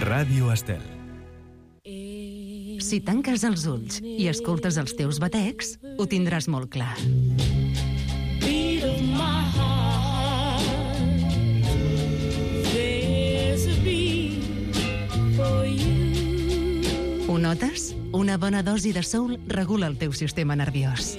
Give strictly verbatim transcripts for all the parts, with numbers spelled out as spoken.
Ràdio Estel. Si tanques els ulls i escoltes els teus batecs, ho tindràs molt clar. Ho notes? Una bona dosi de soul regula el teu sistema nerviós.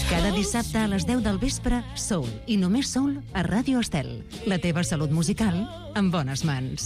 Cada dissabte a les deu del vespre, Soul, i només Soul, a Ràdio Estel. La teva salut musical en bones mans.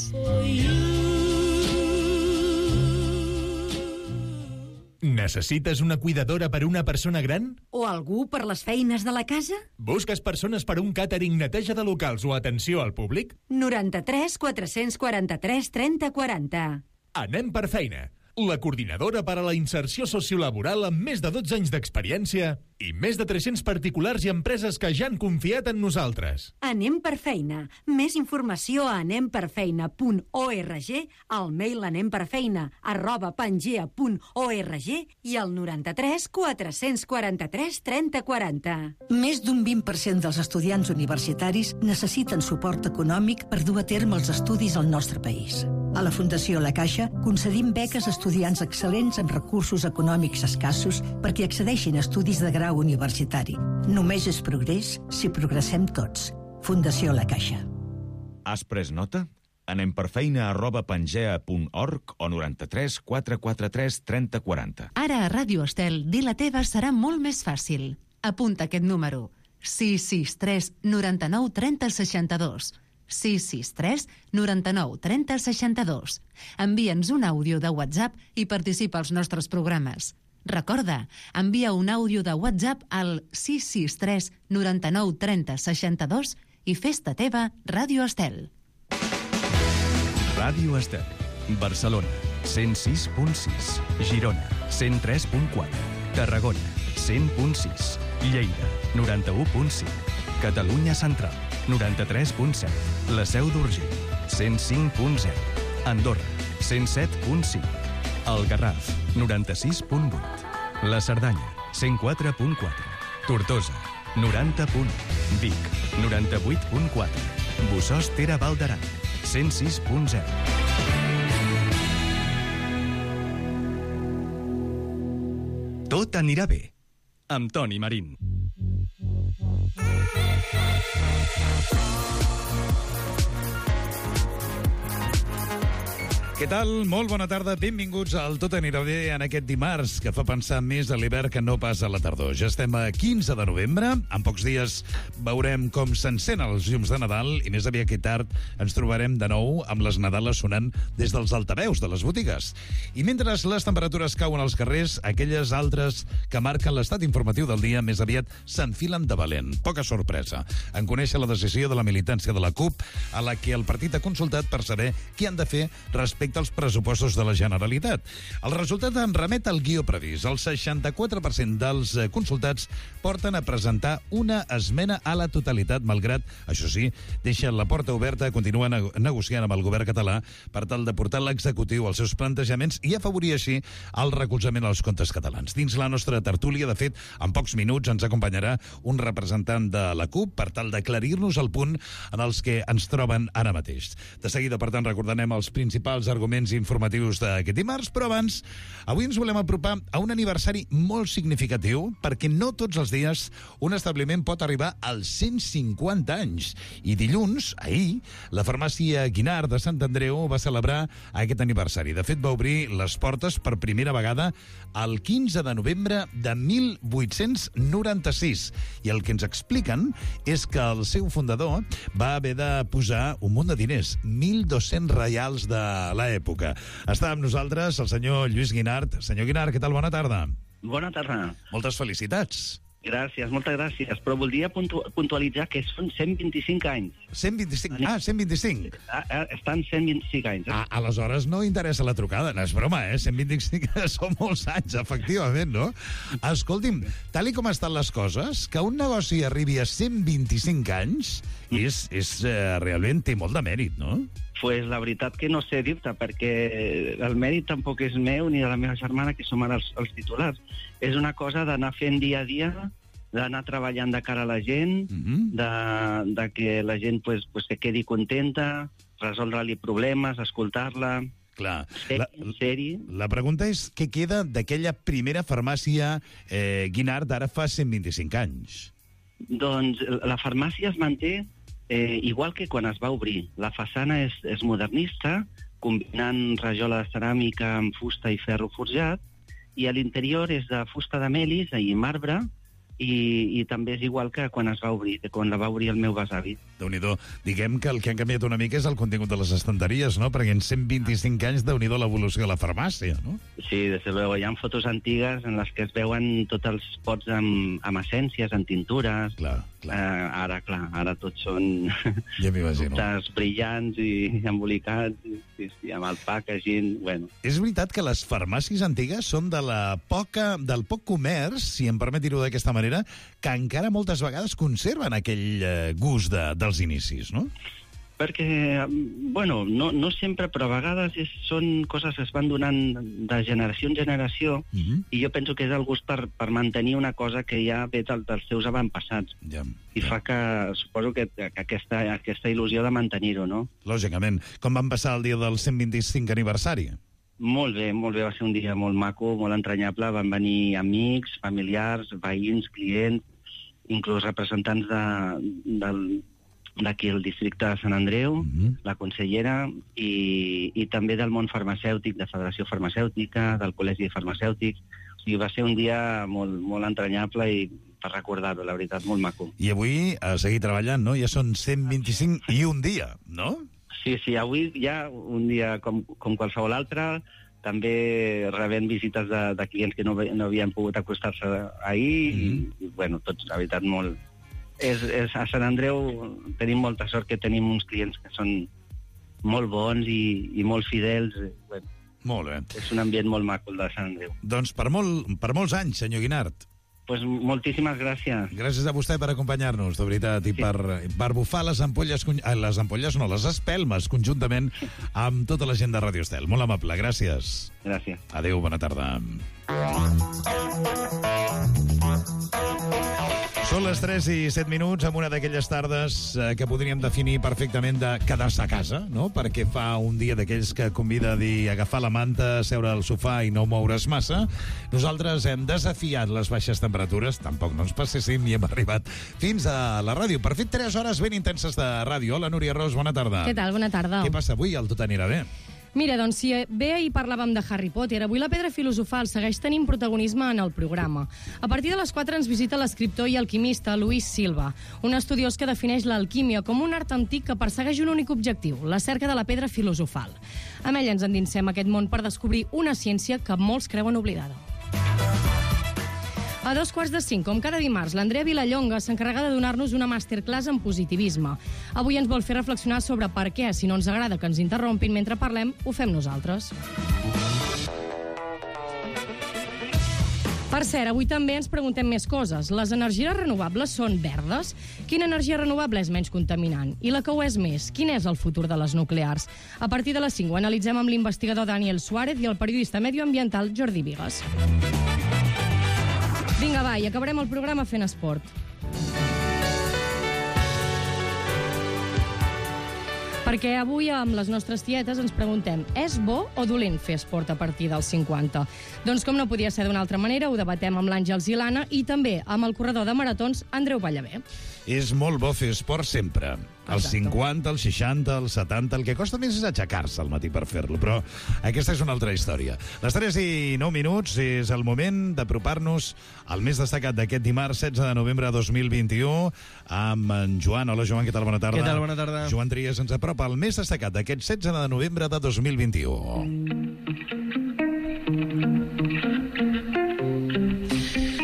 Necessites una cuidadora per una persona gran? O algú per les feines de la casa? Busques persones per un càtering, neteja de locals o atenció al públic? noranta-tres quatre-cents quaranta-tres trenta quaranta. Anem per feina. La coordinadora per a la inserció sociolaboral amb més de dotze anys d'experiència i més de tres-cents particulars i empreses que ja han confiat en nosaltres. Anem per feina. Més informació a anem per feina punt org, al mail anemperfeina arroba pangea punt org i al noranta-tres quatre-cents quaranta-tres trenta quaranta. Més d'un vint per cent dels estudiants universitaris necessiten suport econòmic per dur a terme els estudis al nostre país. A la Fundació La Caixa concedim beques a estudiants excel·lents amb recursos econòmics escassos perquè accedeixin a estudis de grau universitari. Només és progrés si progressem tots. Fundació La Caixa. Has pres nota? Anem per feina arroba pangea punt org o noranta-tres quatre quaranta-tres trenta quaranta. Ara a Ràdio Estel, dir la teva serà molt més fàcil. Apunta aquest número. sis sis tres noranta-nou trenta seixanta-dos. sis sis tres noranta-nou trenta seixanta-dos. Envia'ns un àudio de WhatsApp i participa als nostres programes. Recorda, envia un àudio de WhatsApp al sis sis tres noranta-nou trenta seixanta-dos i fes-te teva Ràdio Estel. Ràdio Estel. Barcelona, cent sis punt sis. Girona, cent tres punt quatre. Tarragona, cent punt sis. Lleida, noranta-u punt cinc. Catalunya Central, noranta-tres punt set. La Seu d'Urgell, cent cinc punt zero. Andorra, cent set punt cinc. El Garraf, noranta-sis punt vuit. La Cerdanya, cent quatre punt quatre. Tortosa, noranta punt u. Vic, noranta-vuit punt quatre. Bossòst Tere Val d'Aran, cent sis punt zero. Tot anirà bé, amb Toni Marín. Què tal? Molt bona tarda. Benvinguts al Tot anirà bé en aquest dimarts, que fa pensar més a l'hivern que no pas a la tardor. Ja estem a quinze de novembre. En pocs dies veurem com s'encenen els llums de Nadal i més aviat que tard ens trobarem de nou amb les Nadales sonant des dels altaveus de les botigues. I mentre les temperatures cauen als carrers, aquelles altres que marquen l'estat informatiu del dia més aviat s'enfilen de valent. Poca sorpresa en conèixer la decisió de la militància de la CUP, a la que el partit ha consultat per saber què han de fer respecte als pressupostos de la Generalitat. El resultat en remet al guió previst. El seixanta-quatre per cent dels consultats porten a presentar una esmena a la totalitat, malgrat, això sí, deixen la porta oberta a continuar negociant amb el govern català per tal de portar l'executiu als seus plantejaments i afavorir així el recolzament als comptes catalans. Dins la nostra tertúlia, de fet, en pocs minuts ens acompanyarà un representant de la CUP per tal d'aclarir-nos el punt en els que ens troben ara mateix. De seguida, per tant, recordarem els principals arguments informatius d'aquest dimarts, però abans, avui ens volem apropar a un aniversari molt significatiu, perquè no tots els dies un establiment pot arribar als cent cinquanta anys. I dilluns, ahir, la farmàcia Guinard de Sant Andreu va celebrar aquest aniversari. De fet, va obrir les portes per primera vegada el quinze de novembre de mil vuit-cents noranta-sis. I el que ens expliquen és que el seu fundador va haver de posar un munt de diners, mil dos-cents reials de l'època. Està amb nosaltres el senyor Lluís Guinard. Senyor Guinard, què tal? Bona tarda. Bona tarda. Moltes felicitats. Gràcies, moltes gràcies. Però voldria puntu puntualitzar que són cent vint-i-cinc anys. cent vint-i-cinc? Ah, cent vint-i-cinc. Ah, ah, estan cent vint-i-cinc anys. Eh? Ah, aleshores no interessa la trucada. No és broma, eh? cent vint-i-cinc són molts anys, efectivament, no? Escolti'm, tal i com estan les coses, que un negoci arribi a cent vint-i-cinc anys és, és eh, realment té molt de mèrit, no? Pues la veritat que no sé dir-te, perquè el mèrit tampoc és meu ni de la meva germana, que som ara els, els titulars. És una cosa d'anar fent dia a dia d'anar treballant de cara a la gent, Mhm. de, de que la gent pues, pues, se quedi contenta, resoldre-li problemes, escoltar-la, Clar. ser, La, ser-hi. la pregunta és què queda d'aquella primera farmàcia eh, Guinart d'ara fa cent vint-i-cinc anys? Doncs la farmàcia es manté eh, igual que quan es va obrir. La façana és, és modernista, combinant rajola de ceràmica amb fusta i ferro forjat, i a l'interior és de fusta de melis i marbre, i, i també és igual que quan es va obrir, que quan la va obrir el meu besavi. Déu-n'hi-do. Diguem que el que han canviat una mica és el contingut de les estanteries, no? Perquè en cent vint-i-cinc anys, Déu-n'hi-do l'evolució de la farmàcia, no? Sí, des de luego. Hi ha fotos antigues en les que es veuen tots els pots amb, amb essències, amb tintures. Clar, clar. Eh, ara, clar, ara tots són Ja m'imagino. productes brillants i embolicats, i, sí, sí, amb el packaging, bueno. És veritat que les farmàcies antigues són de la poca, del poc comerç, si em permet dir-ho d'aquesta manera, que encara moltes vegades conserven aquell eh, gust de, dels inicis, no? Perquè, bueno, no, no sempre, però a vegades és, són coses que es van donant de generació en generació, Mhm. i jo penso que és el gust per, per mantenir una cosa que ja ve del, dels seus avantpassats. Ja, I ja. fa que, suposo que, que aquesta, aquesta il·lusió de mantenir-ho, no? Lògicament. Com van passar el dia del cent vint-i-cinc aniversari? Molt bé, molt bé, va ser un dia molt maco, molt entranyable. Van venir amics, familiars, veïns, clients, inclús representants de, del, d'aquí el districte de Sant Andreu, Mhm. la consellera, i, i també del món farmacèutic, de Federació Farmacèutica, del Col·legi de Farmacèutics. O sigui, va ser un dia molt, molt entranyable i per recordar-ho, la veritat, molt maco. I avui a seguir treballant, no? Ja són cent vint-i-cinc i un dia, no? Sí, sí, avui ja un dia com, com qualsevol altre, també rebent visites de, de clients que no, ve- no havien pogut acostar-se ahir, Mhm. i, i, bueno, tots, la veritat, molt... És, és, a Sant Andreu tenim molta sort que tenim uns clients que són molt bons i, i molt fidels. eh, Bueno, Molt bé. és un ambient molt maco, el de Sant Andreu. Doncs per, molt, per molts anys, senyor Guinart. Pues moltíssimes gràcies. Gràcies a vostè per acompanyar-nos, de veritat, i Sí. per, per bufar les ampolles, conj- eh, les ampolles no, les espelmes, conjuntament amb tota la gent de Radio Estel. Molt amable, gràcies. Gràcies. Adéu, bona tarda. Són les tres i set minuts, amb una d'aquelles tardes eh, que podríem definir perfectament de quedar-se a casa, no? Perquè fa un dia d'aquells que convida a dir agafar la manta, seure al sofà i no moure's massa. Nosaltres hem desafiat les baixes temperatures, tampoc no ens passéssim, i hem arribat fins a la ràdio. Per fer tres hores ben intenses de ràdio. Hola, Núria Ros, bona tarda. Què tal? Bona tarda. Què passa avui? El tot anirà bé. Mira, doncs, si bé ahir parlàvem de Harry Potter, avui la pedra filosofal segueix tenint protagonisme en el programa. A partir de les quatre ens visita l'escriptor i alquimista Luis Silva, un estudiós que defineix l'alquímia com un art antic que persegueix un únic objectiu, la cerca de la pedra filosofal. Amb ell ens endinsem a aquest món per descobrir una ciència que molts creuen oblidada. A dos quarts de cinc, com cada dimarts, l'Andrea Vilallonga s'encarrega de donar-nos una masterclass en positivisme. Avui ens vol fer reflexionar sobre per què, si no ens agrada que ens interrompin mentre parlem, ho fem nosaltres. Per cert, avui també ens preguntem més coses. Les energies renovables són verdes? Quina energia renovable és menys contaminant? I la que ho és més? Quin és el futur de les nuclears? A partir de les cinc ho analitzem amb l'investigador Daniel Suárez i el periodista medioambiental Jordi Vigues. Vinga, va, i acabarem el programa fent esport. Perquè avui amb les nostres tietes ens preguntem, és bo o dolent fer esport a partir dels cinquanta? Doncs com no podia ser d'una altra manera, ho debatem amb l'Àngels i l'Anna i també amb el corredor de maratons Andreu Ballavé. És molt bo fer esport sempre. Els cinquanta, els seixanta, els setanta... El que costa més és aixecar-se al matí per fer-lo, però aquesta és una altra història. Les tres i nou minuts és el moment d'apropar-nos al més destacat d'aquest dimarts setze de novembre de dos mil vint-i-u amb en Joan. Hola, Joan, què tal? Bona tarda. Què tal? Bona tarda. Joan Trias ens apropa al més destacat d'aquest setze de novembre de dos mil vint-i-u.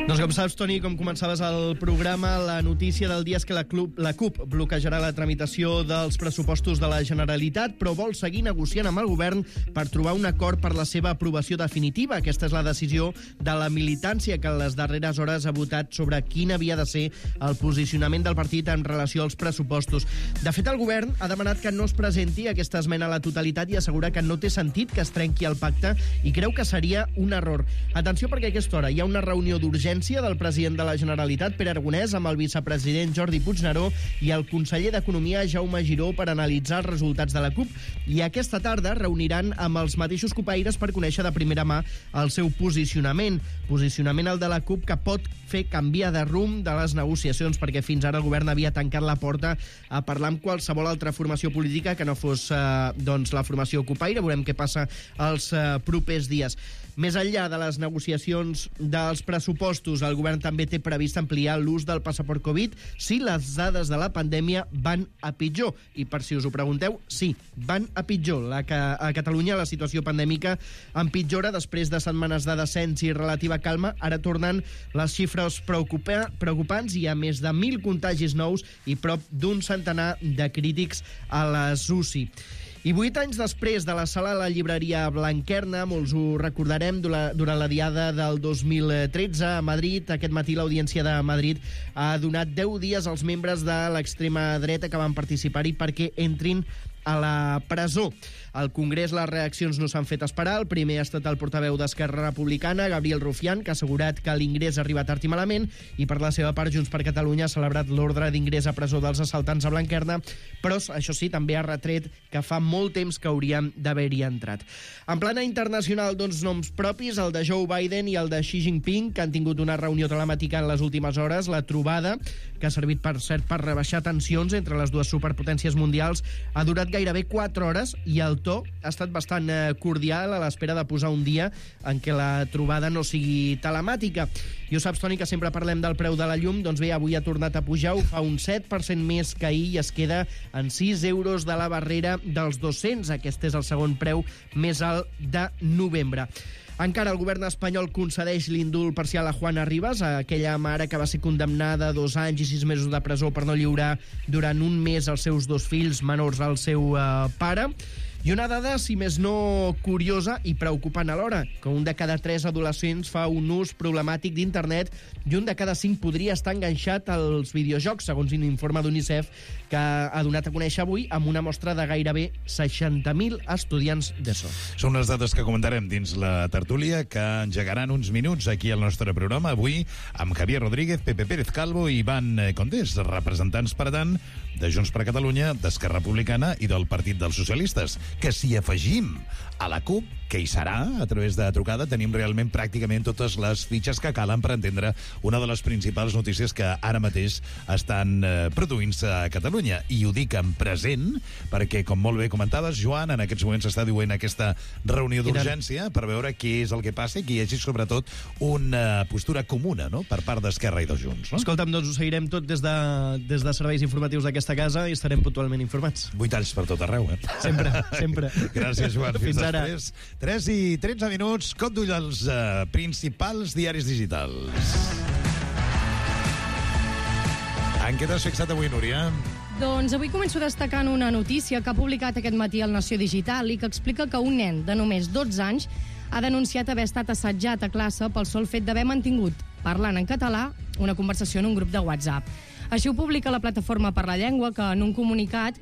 Doncs com saps, Toni, com començaves el programa, la notícia del dia és que la, club, la CUP bloquejarà la tramitació dels pressupostos de la Generalitat, però vol seguir negociant amb el govern per trobar un acord per la seva aprovació definitiva. Aquesta és la decisió de la militància que en les darreres hores ha votat sobre quin havia de ser el posicionament del partit en relació als pressupostos. De fet, el govern ha demanat que no es presenti aquesta esmena a la totalitat i assegura que no té sentit que es trenqui el pacte i creu que seria un error. Atenció, perquè a aquesta hora hi ha una reunió d'urgència audiència del president de la Generalitat, Pere Aragonès, amb el vicepresident Jordi Puigneró i el conseller d'Economia, Jaume Giró, per analitzar els resultats de la CUP. I aquesta tarda reuniran amb els mateixos cupaires per conèixer de primera mà el seu posicionament. Posicionament el de la CUP que pot fer canviar de rumb de les negociacions, perquè fins ara el govern havia tancat la porta a parlar amb qualsevol altra formació política que no fos eh, doncs, la formació cupaire. Veurem què passa els eh, propers dies. Més enllà de les negociacions dels pressupostos, el govern també té previst ampliar l'ús del passaport Covid si les dades de la pandèmia van a pitjor. I per si us ho pregunteu, sí, van a pitjor. La que a Catalunya la situació pandèmica empitjora després de setmanes de descens i relativa calma. Ara tornen les xifres preocupa preocupants. Hi ha més de mil contagis nous i prop d'un centenar de crítics a les U C I. I vuit anys després de la sala de la llibreria Blanquerna, molts ho recordarem, durant la diada del dos mil tretze a Madrid, aquest matí l'Audiència de Madrid ha donat deu dies als membres de l'extrema dreta que van participar-hi perquè entrin a la presó. Al Congrés les reaccions no s'han fet esperar. El primer ha estat el portaveu d'Esquerra Republicana, Gabriel Rufián, que ha assegurat que l'ingrés arriba tard i malament, i per la seva part Junts per Catalunya ha celebrat l'ordre d'ingrés a presó dels assaltants a Blanquerna, però això sí, també ha retret que fa molt temps que haurien d'haver-hi entrat. En plana internacional, doncs, noms propis, el de Joe Biden i el de Xi Jinping, que han tingut una reunió telemàtica en les últimes hores. La trobada, que ha servit, per cert, per rebaixar tensions entre les dues superpotències mundials, ha durat gairebé quatre hores i el to ha estat bastant cordial a l'espera de posar un dia en què la trobada no sigui telemàtica. I ho saps, Toni, que sempre parlem del preu de la llum. Doncs bé, avui ha tornat a pujar, ho fa un set per cent més que ahir i es queda en sis euros de la barrera dels dos-cents. Aquest és el segon preu més alt de novembre. Encara el govern espanyol concedeix l'indult parcial a Juana Rivas, a aquella mare que va ser condemnada a dos anys i sis mesos de presó per no lliurar durant un mes els seus dos fills menors al seu eh, pare. I una dada, si més no curiosa i preocupant alhora, que un de cada tres adolescents fa un ús problemàtic d'internet i un de cada cinc podria estar enganxat als videojocs, segons un informe d'UNICEF que ha donat a conèixer avui amb una mostra de gairebé seixanta mil estudiants d'ESO. Són les dades que comentarem dins la tertúlia que engegaran uns minuts aquí al nostre programa, avui amb Javier Rodríguez, Pepe Pérez Calvo i Ivan Condés, representants, per tant, de Junts per Catalunya, d'Esquerra Republicana i del Partit dels Socialistes, que si afegim a la CUP, que hi serà a través de trucada, tenim realment pràcticament totes les fitxes que calen per entendre una de les principals notícies que ara mateix estan eh, produint-se a Catalunya. I ho dic en present, perquè, com molt bé comentaves, Joan, en aquests moments s'està duent aquesta reunió d'urgència per veure què és el que passa i que hi hagi, sobretot, una postura comuna, no?, per part d'Esquerra i de Junts. No? Escolta'm, doncs ho seguirem tot des de, des de serveis informatius d'aquesta casa i estarem puntualment informats. Vuit anys per tot arreu, eh? Sempre, sempre. Gràcies, Joan. Fins, Fins ara. Després. tres i tretze minuts, cop d'ull als uh, principals diaris digitals. En què t'has fixat avui, Núria? Doncs avui començo destacant una notícia que ha publicat aquest matí el Nació Digital i que explica que un nen de només dotze anys ha denunciat haver estat assetjat a classe pel sol fet d'haver mantingut, parlant en català, una conversació en un grup de WhatsApp. Així ho publica la Plataforma per la Llengua, que en un comunicat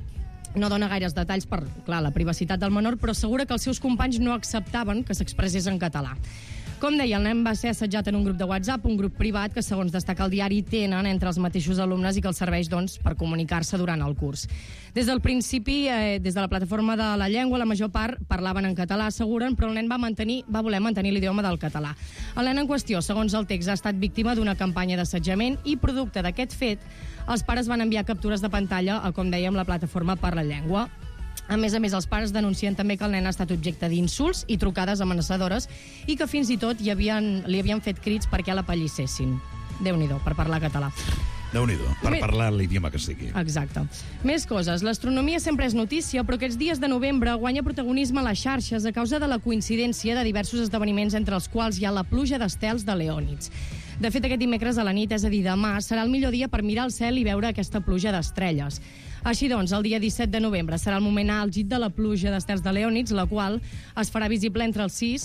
no dona gaires detalls per, clar, la privacitat del menor, però assegura que els seus companys no acceptaven que s'expressés en català. Com deia, el nen va ser assetjat en un grup de WhatsApp, un grup privat que, segons destaca el diari, tenen entre els mateixos alumnes i que els serveix, doncs, per comunicar-se durant el curs. Des del principi, eh, des de la Plataforma de la Llengua, la major part parlaven en català, asseguren, però el nen va, mantenir, va voler mantenir l'idioma del català. El nen en qüestió, segons el text, ha estat víctima d'una campanya d'assetjament i, producte d'aquest fet, els pares van enviar captures de pantalla a, com dèiem, la Plataforma per la Llengua. A més a més, els pares denuncien també que el nen ha estat objecte d'insults i trucades amenaçadores i que fins i tot hi havien, li havien fet crits perquè l'apallissessin. Déu-n'hi-do, per parlar català. Déu-n'hi-do, per Més... parlar l'idioma que sigui. Exacte. Més coses. L'astronomia sempre és notícia, però aquests dies de novembre guanya protagonisme a les xarxes a causa de la coincidència de diversos esdeveniments entre els quals hi ha la pluja d'estels de Leònids. De fet, aquest dimecres a la nit, és a dir, demà, serà el millor dia per mirar el cel i veure aquesta pluja d'estrelles. Així doncs, el dia disset de novembre serà el moment àlgid de la pluja d'estels de Leònids, la qual es farà visible entre els sis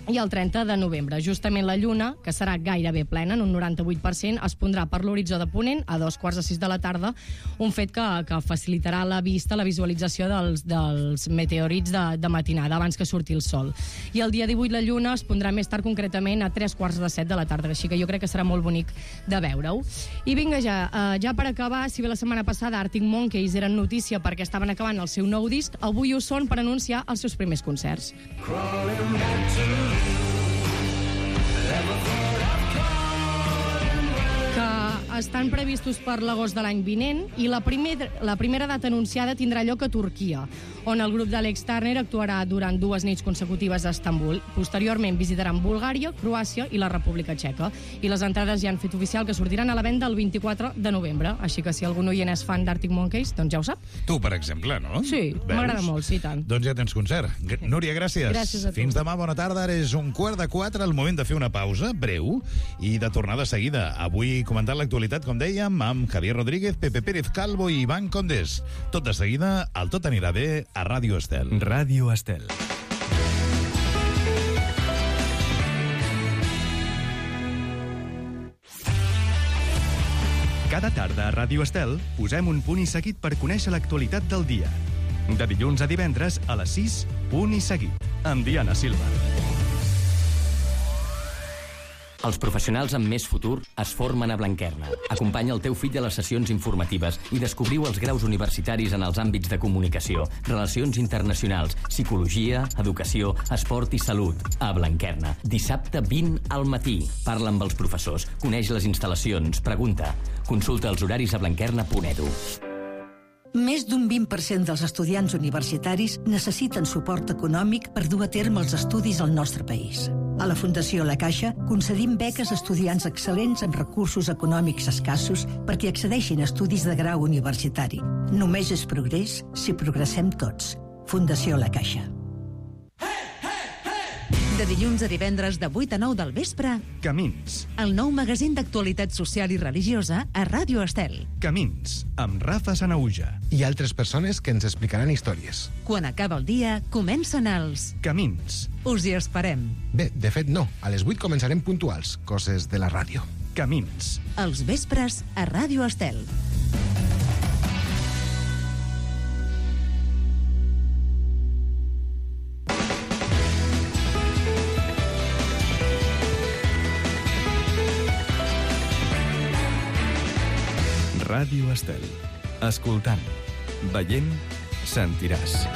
i el trenta de novembre. Justament la lluna, que serà gairebé plena, en un noranta-vuit per cent, es pondrà per l'horitzó de ponent a dos quarts de sis de la tarda, un fet que, que facilitarà la vista, la visualització dels, dels meteorits de, de matinada, abans que surti el sol. I el dia divuit la lluna es pondrà més tard, concretament a tres quarts de set de la tarda, així que jo crec que serà molt bonic de veure-ho. I vinga ja, uh, ja per acabar, si bé la setmana passada Arctic Monkeys eren notícia perquè estaven acabant el seu nou disc, avui ho són per anunciar els seus primers concerts. Que estan previstos per l'agost de l'any vinent i la, primer, la primera data anunciada tindrà lloc a Turquia, on el grup d'Alex Turner actuarà durant dues nits consecutives a Estambul. Posteriorment visitaran Bulgària, Croàcia i la República Txeca. I les entrades ja han fet oficial que sortiran a la venda el vint-i-quatre de novembre. Així que si algun oient és fan d'Arctic Monkeys, doncs ja ho sap. Tu, per exemple, no? Sí, m'agrada molt, sí, tant. Doncs ja tens concert. Núria, gràcies. Gràcies a tu. Fins demà, bona tarda. Ara és un quart de quatre, el moment de fer una pausa breu i de tornar de seguida. Avui comentant l'actualitat, com dèiem, amb Javier Rodríguez, Pepe Pérez Calvo i Ivan Condés. Tot de seguida, el Tot anirà bé a Ràdio Estel. Ràdio Estel. Cada tarda a Ràdio Estel posem un punt i seguit per conèixer l'actualitat del dia. De dilluns a divendres a les sis, punt i seguit, amb Diana Silva. Els professionals amb més futur es formen a Blanquerna. Acompanya el teu fill a les sessions informatives i descobriu els graus universitaris en els àmbits de comunicació, relacions internacionals, psicologia, educació, esport i salut. A Blanquerna. Dissabte vint al matí. Parla amb els professors, coneix les instal·lacions, pregunta. Consulta els horaris a blanquerna punt edu. Més d'un vint per cent dels estudiants universitaris necessiten suport econòmic per dur a terme els estudis al nostre país. A la Fundació La Caixa concedim beques a estudiants excel·lents amb recursos econòmics escassos perquè accedeixin a estudis de grau universitari. Només és progrés si progressem tots. Fundació La Caixa. De dilluns a divendres de vuit a nou del vespre, Camins. el nou magazín d'actualitat social i religiosa a Ràdio Estel. Camins, amb Rafa Sanauja. I altres persones que ens explicaran històries. Quan acaba el dia, comencen els Camins. Us hi esperem. Bé, de fet no. A les vuit començarem puntuals, coses de la ràdio. Camins. Els vespres a Ràdio Estel. Ràdio Estel. Escoltant, veient, sentiràs.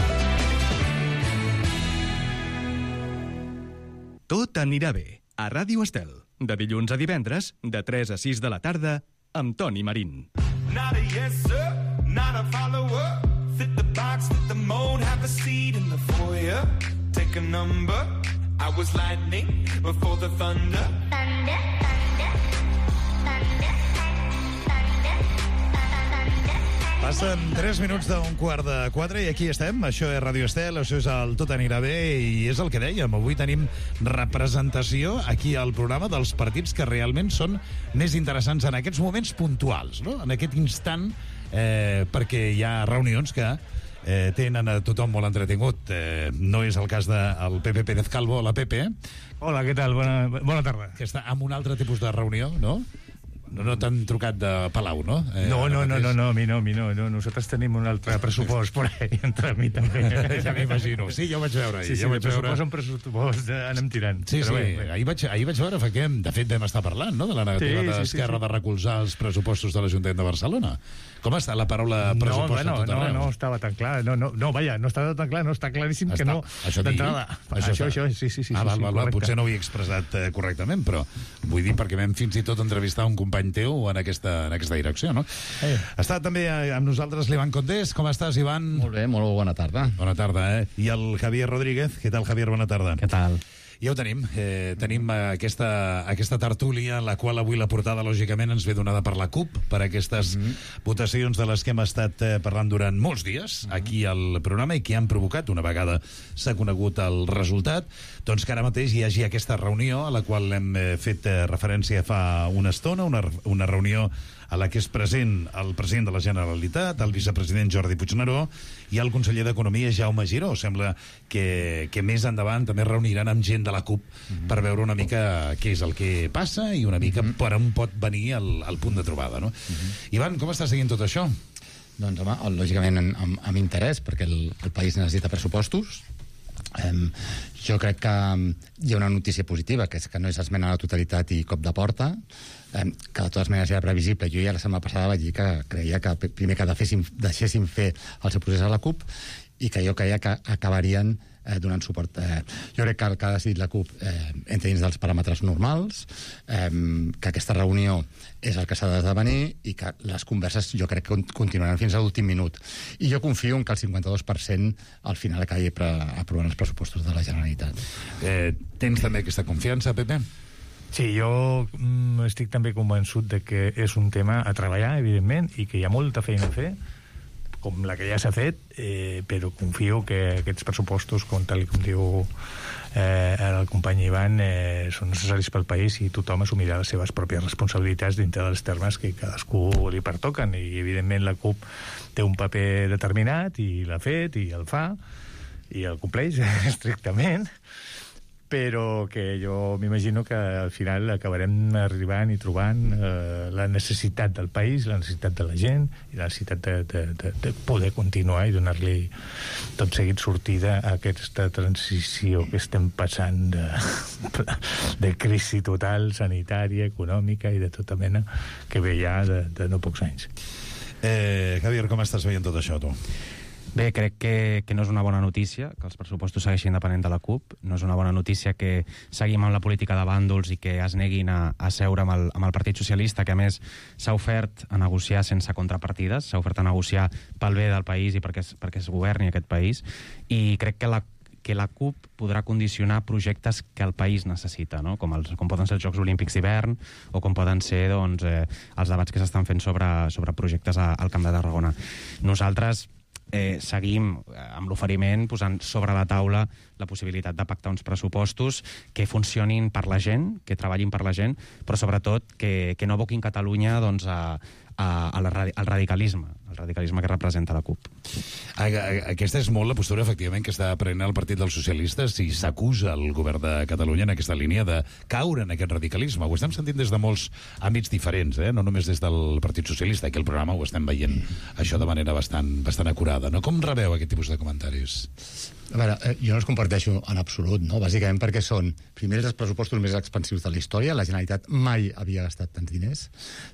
Tot anirà bé. A Ràdio Estel. De dilluns a divendres, de tres a sis de la tarda, amb Toni Marín. Not a yes, sir, not a follower. Fit the box, fit the mold, have a seat in the foyer. Take a number. I was lightning before the thunder. Thunder, thunder, thunder. Passen tres minuts d'un quart de quatre i aquí estem. Això és Ràdio Estel, això és el Tot anirà bé i és el que dèiem. Avui tenim representació aquí al programa dels partits que realment són més interessants en aquests moments puntuals, no? En aquest instant, eh, perquè hi ha reunions que eh, tenen a tothom molt entretingut. Eh, no és el cas del Pepe Pérez Calvo, la Pepe. Hola, què tal? Bona, bona tarda. Que està en un altre tipus de reunió, no? No, no t'han trucat de Palau, no? Eh, no, no, no, no, no, a mi no, a mi no, no. Nosaltres tenim un altre pressupost por ahí, entre mi també. Ja m'imagino. Sí, jo vaig veure ahir. Sí, sí, jo de pressupost en pressupost anem tirant. Sí, sí, bé, bé. Ahir, vaig, ahir vaig veure, que de fet vam estar parlant, no?, de la negativa sí, sí, d'Esquerra sí, sí. de recolzar els pressupostos de l'Ajuntament de Barcelona. Com està la paraula pressupost no, bueno, en tot arreu? No, no estava tan clar. No, no, no, vaja, no estava tan clar, no, està claríssim està. que no. Això d'entrada. Això, això, això, sí, sí, sí. Ah, val, sí, val, val, potser no ho he expressat eh, correctament, però vull dir perquè vam fins i tot entrevistar un company teu en aquesta, en aquesta direcció, no? Eh. Està també amb nosaltres l'Ivan Condés. Com estàs, Ivan? Molt bé, molt bona tarda. Bona tarda, eh? I el Javier Rodríguez. Què tal, Javier? Bona tarda. Què tal? Ja ho tenim. Eh, tenim aquesta, aquesta tertúlia en la qual avui la portada, lògicament, ens ve donada per la CUP, per aquestes mm -hmm. votacions de les que hem estat eh, parlant durant molts dies aquí al programa i que han provocat, una vegada s'ha conegut el resultat, doncs que ara mateix hi hagi aquesta reunió a la qual hem eh, fet eh, referència fa una estona, una, una reunió a la que és present el president de la Generalitat, el vicepresident Jordi Puigneró i el conseller d'Economia Jaume Giró. Sembla que, que més endavant també reuniran amb gent de de la CUP mm-hmm. per veure una mica què és el que passa i una mica mm-hmm. per on pot venir el, el punt de trobada, no? Mm-hmm. Ivan, com estàs seguint tot això? Doncs, home, lògicament amb, amb interès, perquè el, el país necessita pressupostos. Um, jo crec que hi ha una notícia positiva, que és que no és esmena a la totalitat i cop de porta, um, que de totes maneres era previsible. Jo ja la setmana passada vaig dir que creia que primer que deixéssim, deixéssim fer el seu procés a la CUP i que jo creia que acabarien eh, donant suport. Eh, jo crec que el que ha decidit la CUP eh, entra dins dels paràmetres normals, eh, que aquesta reunió és el que s'ha d'esdevenir i que les converses jo crec que continuaran fins a l'últim minut. I jo confio en que el cinquanta-dos per cent al final acabi aprovant els pressupostos de la Generalitat. Eh, tens també aquesta confiança, Pepe? Sí, jo mm, estic també convençut de que és un tema a treballar, evidentment, i que hi ha molta feina a fer, com la que ja s'ha fet, eh, però confio que aquests pressupostos, com tal com diu eh, el company Ivan, eh, són necessaris pel país i tothom assumirà les seves pròpies responsabilitats dintre dels termes que cadascú li pertoquen, i evidentment la CUP té un paper determinat i l'ha fet i el fa i el compleix estrictament, però que jo m'imagino que al final acabarem arribant i trobant eh, la necessitat del país, la necessitat de la gent i la necessitat de, de, de, de poder continuar i donar-li tot seguit sortida a aquesta transició que estem passant de, de crisi total, sanitària, econòmica i de tota mena que ve ja de, de no pocs anys. Eh, Javier, com estàs veient tot això, tu? Bé, crec que, que no és una bona notícia que els pressupostos segueixin depenent de la CUP. No és una bona notícia que seguim amb la política de bàndols i que es neguin a, a seure amb el, amb el Partit Socialista, que a més s'ha ofert a negociar sense contrapartides, s'ha ofert a negociar pel bé del país i perquè es, perquè es governi aquest país. I crec que la que la CUP podrà condicionar projectes que el país necessita, no? com, els, com poden ser els Jocs Olímpics d'hivern o com poden ser doncs, eh, els debats que s'estan fent sobre, sobre projectes a, al Camp de Tarragona. Nosaltres eh, seguim amb l'oferiment posant sobre la taula la possibilitat de pactar uns pressupostos que funcionin per la gent, que treballin per la gent, però sobretot que, que no aboquin Catalunya doncs, a, a, a la, al radicalisme, el radicalisme que representa la CUP. Aquesta és molt la postura, efectivament, que està prenent el Partit dels Socialistes i s'acusa el govern de Catalunya en aquesta línia de caure en aquest radicalisme. Ho estem sentint des de molts àmbits diferents, eh? No només des del Partit Socialista. Aquí al programa ho estem veient això de manera bastant, bastant acurada. No? Com rebeu aquest tipus de comentaris? A veure, eh, jo no els comparteixo en absolut, no? Bàsicament perquè són, primer, els pressupostos més expansius de la història, la Generalitat mai havia gastat tants diners,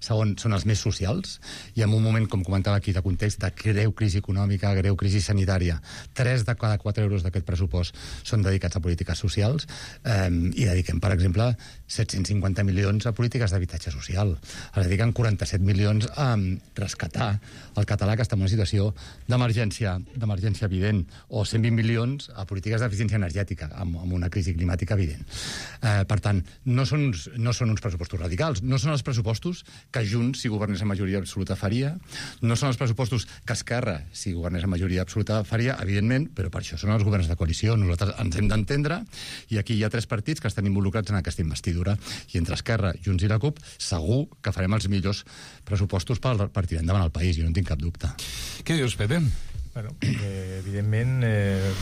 segon, són els més socials, i en un moment, com comentava aquí, de context de greu crisi econòmica, greu crisi sanitària, tres de cada quatre euros d'aquest pressupost són dedicats a polítiques socials, eh, i dediquem, per exemple, set-cents cinquanta milions a polítiques d'habitatge social, es dediquen quaranta-set milions a rescatar el català, que està en una situació d'emergència, d'emergència evident, o cent vint milions a polítiques d'eficiència energètica, amb, amb una crisi climàtica evident. Eh, per tant, no són, uns, no són uns pressupostos radicals, no són els pressupostos que Junts, si governés en majoria absoluta, faria, no són els pressupostos que Esquerra, si governés en majoria absoluta, faria, evidentment, però per això són els governs de coalició. Nosaltres ens hem d'entendre, i aquí hi ha tres partits que estan involucrats en aquesta investidura, i entre Esquerra, Junts i la CUP, segur que farem els millors pressupostos per, per tirar endavant el país, jo no en tinc cap dubte. Què dius, Pepe? Bueno, eh, evidentment, eh,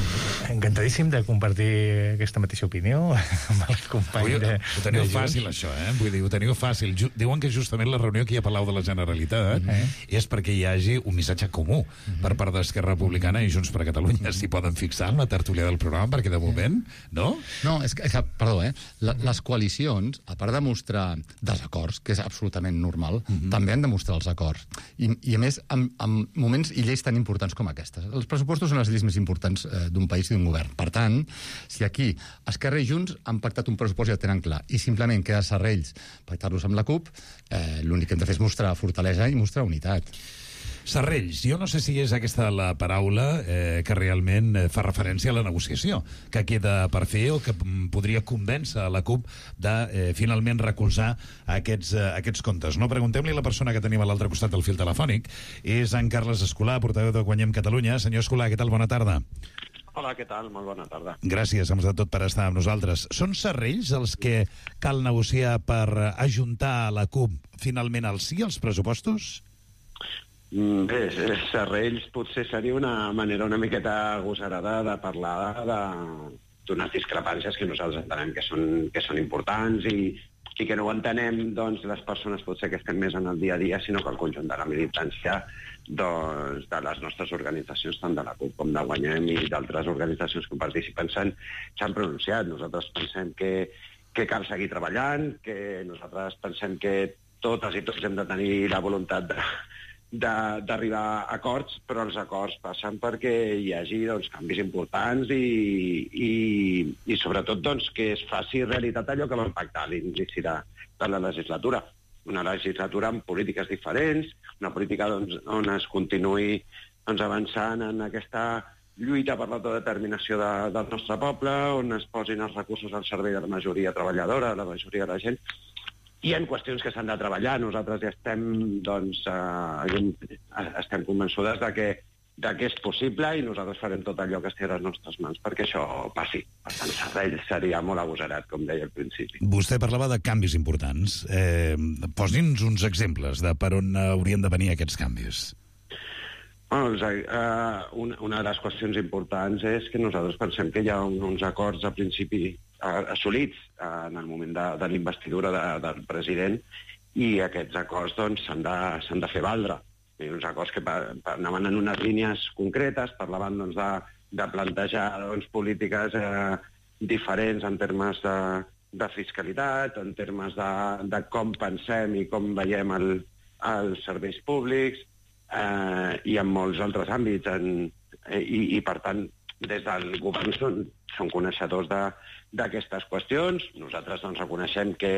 encantadíssim de compartir aquesta mateixa opinió amb el company Ui, de... Ho teniu de fàcil, això, eh? Vull dir, ho teniu fàcil. Ju Diuen que justament la reunió que hi ha a Palau de la Generalitat eh? és perquè hi hagi un missatge comú uh -huh. per part d'Esquerra Republicana i Junts per Catalunya. S'hi poden fixar en la tertúlia del programa, perquè de moment, no? No, és que, és que perdó, eh? La, les coalicions, a part de mostrar desacords, que és absolutament normal, uh -huh. també han de mostrar els acords. I, i a més, en, en moments i lleis tan importants com aquests. Els pressupostos són les lleis més importants eh, d'un país i d'un govern. Per tant, si aquí Esquerra i Junts han pactat un pressupost i el tenen clar, i simplement queda serrells pactar-los amb la CUP, eh, l'únic que hem de fer és mostrar fortalesa i mostrar unitat. Serrells, jo no sé si és aquesta la paraula eh, que realment fa referència a la negociació que queda per fer o que podria convèncer la CUP de eh, finalment recolzar aquests, eh, aquests comptes. No, preguntem-li a la persona que tenim a l'altre costat del fil telefònic. És en Carles Escolà, portaveu de Guanyem Catalunya. Senyor Escolà, què tal? Bona tarda. Hola, què tal? Molt bona tarda. Gràcies, amb de tot, per estar amb nosaltres. Són serrells els que cal negociar per ajuntar a la CUP finalment al sí als pressupostos? Bé, serrells potser seria una manera una miqueta agosarada de parlar de, d'unes discrepàncies que nosaltres entenem que són, que són importants i, i que no ho entenem doncs, les persones potser que estem més en el dia a dia, sinó que el conjunt de la militància doncs, de les nostres organitzacions, tant de la CUP com de Guanyem i d'altres organitzacions que participen, s'han pronunciat. Nosaltres pensem que, que cal seguir treballant, que nosaltres pensem que totes i tots hem de tenir la voluntat de d'arribar a acords, però els acords passen perquè hi hagi doncs, canvis importants i, i, i sobretot doncs, que es faci realitat allò que vam pactar a l'inici de, de la legislatura. Una legislatura amb polítiques diferents, una política doncs, on es continuï doncs, avançant en aquesta lluita per l'autodeterminació de, del nostre poble, on es posin els recursos al servei de la majoria treballadora, de la majoria de la gent. Hi ha qüestions que s'han de treballar. Nosaltres ja estem, doncs, eh, estem convençudes de que, de que és possible i nosaltres farem tot allò que estigui a les nostres mans perquè això passi. Per tant, seria molt agosarat, com deia al principi. Vostè parlava de canvis importants. Eh, Posi'ns uns exemples de per on haurien de venir aquests canvis. Bueno, doncs, eh, una, una de les qüestions importants és que nosaltres pensem que hi ha uns acords a principi assolits en el moment de, de la investidura de, del president i aquests acords doncs, s'han de, s'han de fer valdre. I uns acords que pa, pa, anaven en unes línies concretes, parlaven doncs, de, de plantejar doncs, polítiques eh, diferents en termes de, de fiscalitat, en termes de, de com pensem i com veiem el, els serveis públics eh, i en molts altres àmbits. En, eh, i, I, per tant, des del govern són, són coneixedors de, d'aquestes qüestions. Nosaltres doncs, reconeixem que,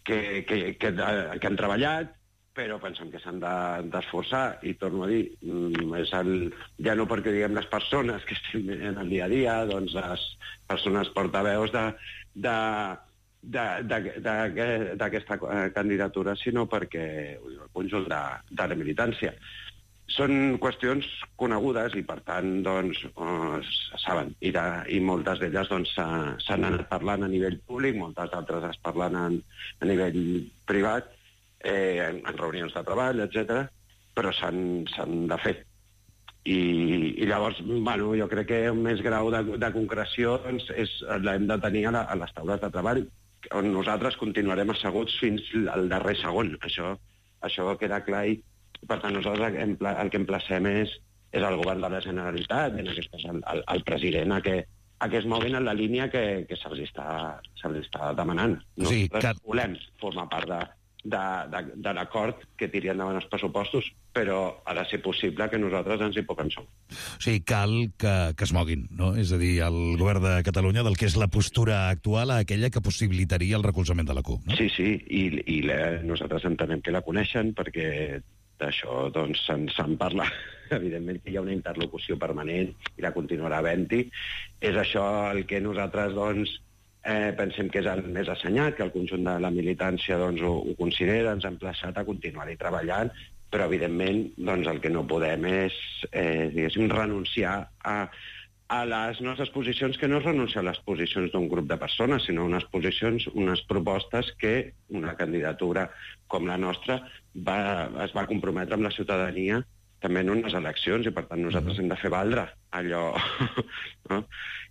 que, que, que, que han treballat, però pensem que s'han de, d'esforçar. I torno a dir, és el, ja no perquè diguem les persones que estem en el dia a dia, doncs les persones portaveus de, de, de, de, de, d'aquesta candidatura, sinó perquè el conjunt de, de la militància. Són qüestions conegudes i, per tant, doncs, eh, saben, i, de, i moltes d'elles doncs, s'han anat parlant a nivell públic, moltes altres es parlen en, a nivell privat, eh, en, en reunions de treball, etcètera, però s'han, s'han de fer. I, i llavors, bueno, jo crec que un més grau de, de concreció doncs, és, l'hem de tenir a, la, a les taules de treball, on nosaltres continuarem asseguts fins al darrer segon. Això, això queda clar i per tant, nosaltres el que emplacem és, és el govern de la Generalitat, en aquest cas el, el, el president, a que, a que es moguin en la línia que, que se'ls està, se'ls està demanant. Nosaltres sí, que... volem formar part de, de, de, de l'acord que tiri endavant els pressupostos, però ha de ser possible que nosaltres ens hi puguem sumar. O sigui, cal que, que es moguin, no? És a dir, el govern de Catalunya del que és la postura actual a aquella que possibilitaria el recolzament de la CUP, no? Sí, sí, i, i la, nosaltres entenem que la coneixen perquè d'això doncs, se'n, se'n parla. Evidentment que hi ha una interlocució permanent i la continuarà havent-hi. És això el que nosaltres doncs, eh, pensem que és el més assenyat, que el conjunt de la militància doncs, ho, ho considera, ens ha emplaçat a continuar-hi treballant, però evidentment doncs, el que no podem és eh, diguéssim, renunciar a, a les nostres posicions, que no és renunciar a les posicions d'un grup de persones, sinó unes posicions, unes propostes que una candidatura com la nostra va, es va comprometre amb la ciutadania també en unes eleccions, i per tant nosaltres hem de fer valdre allò, no?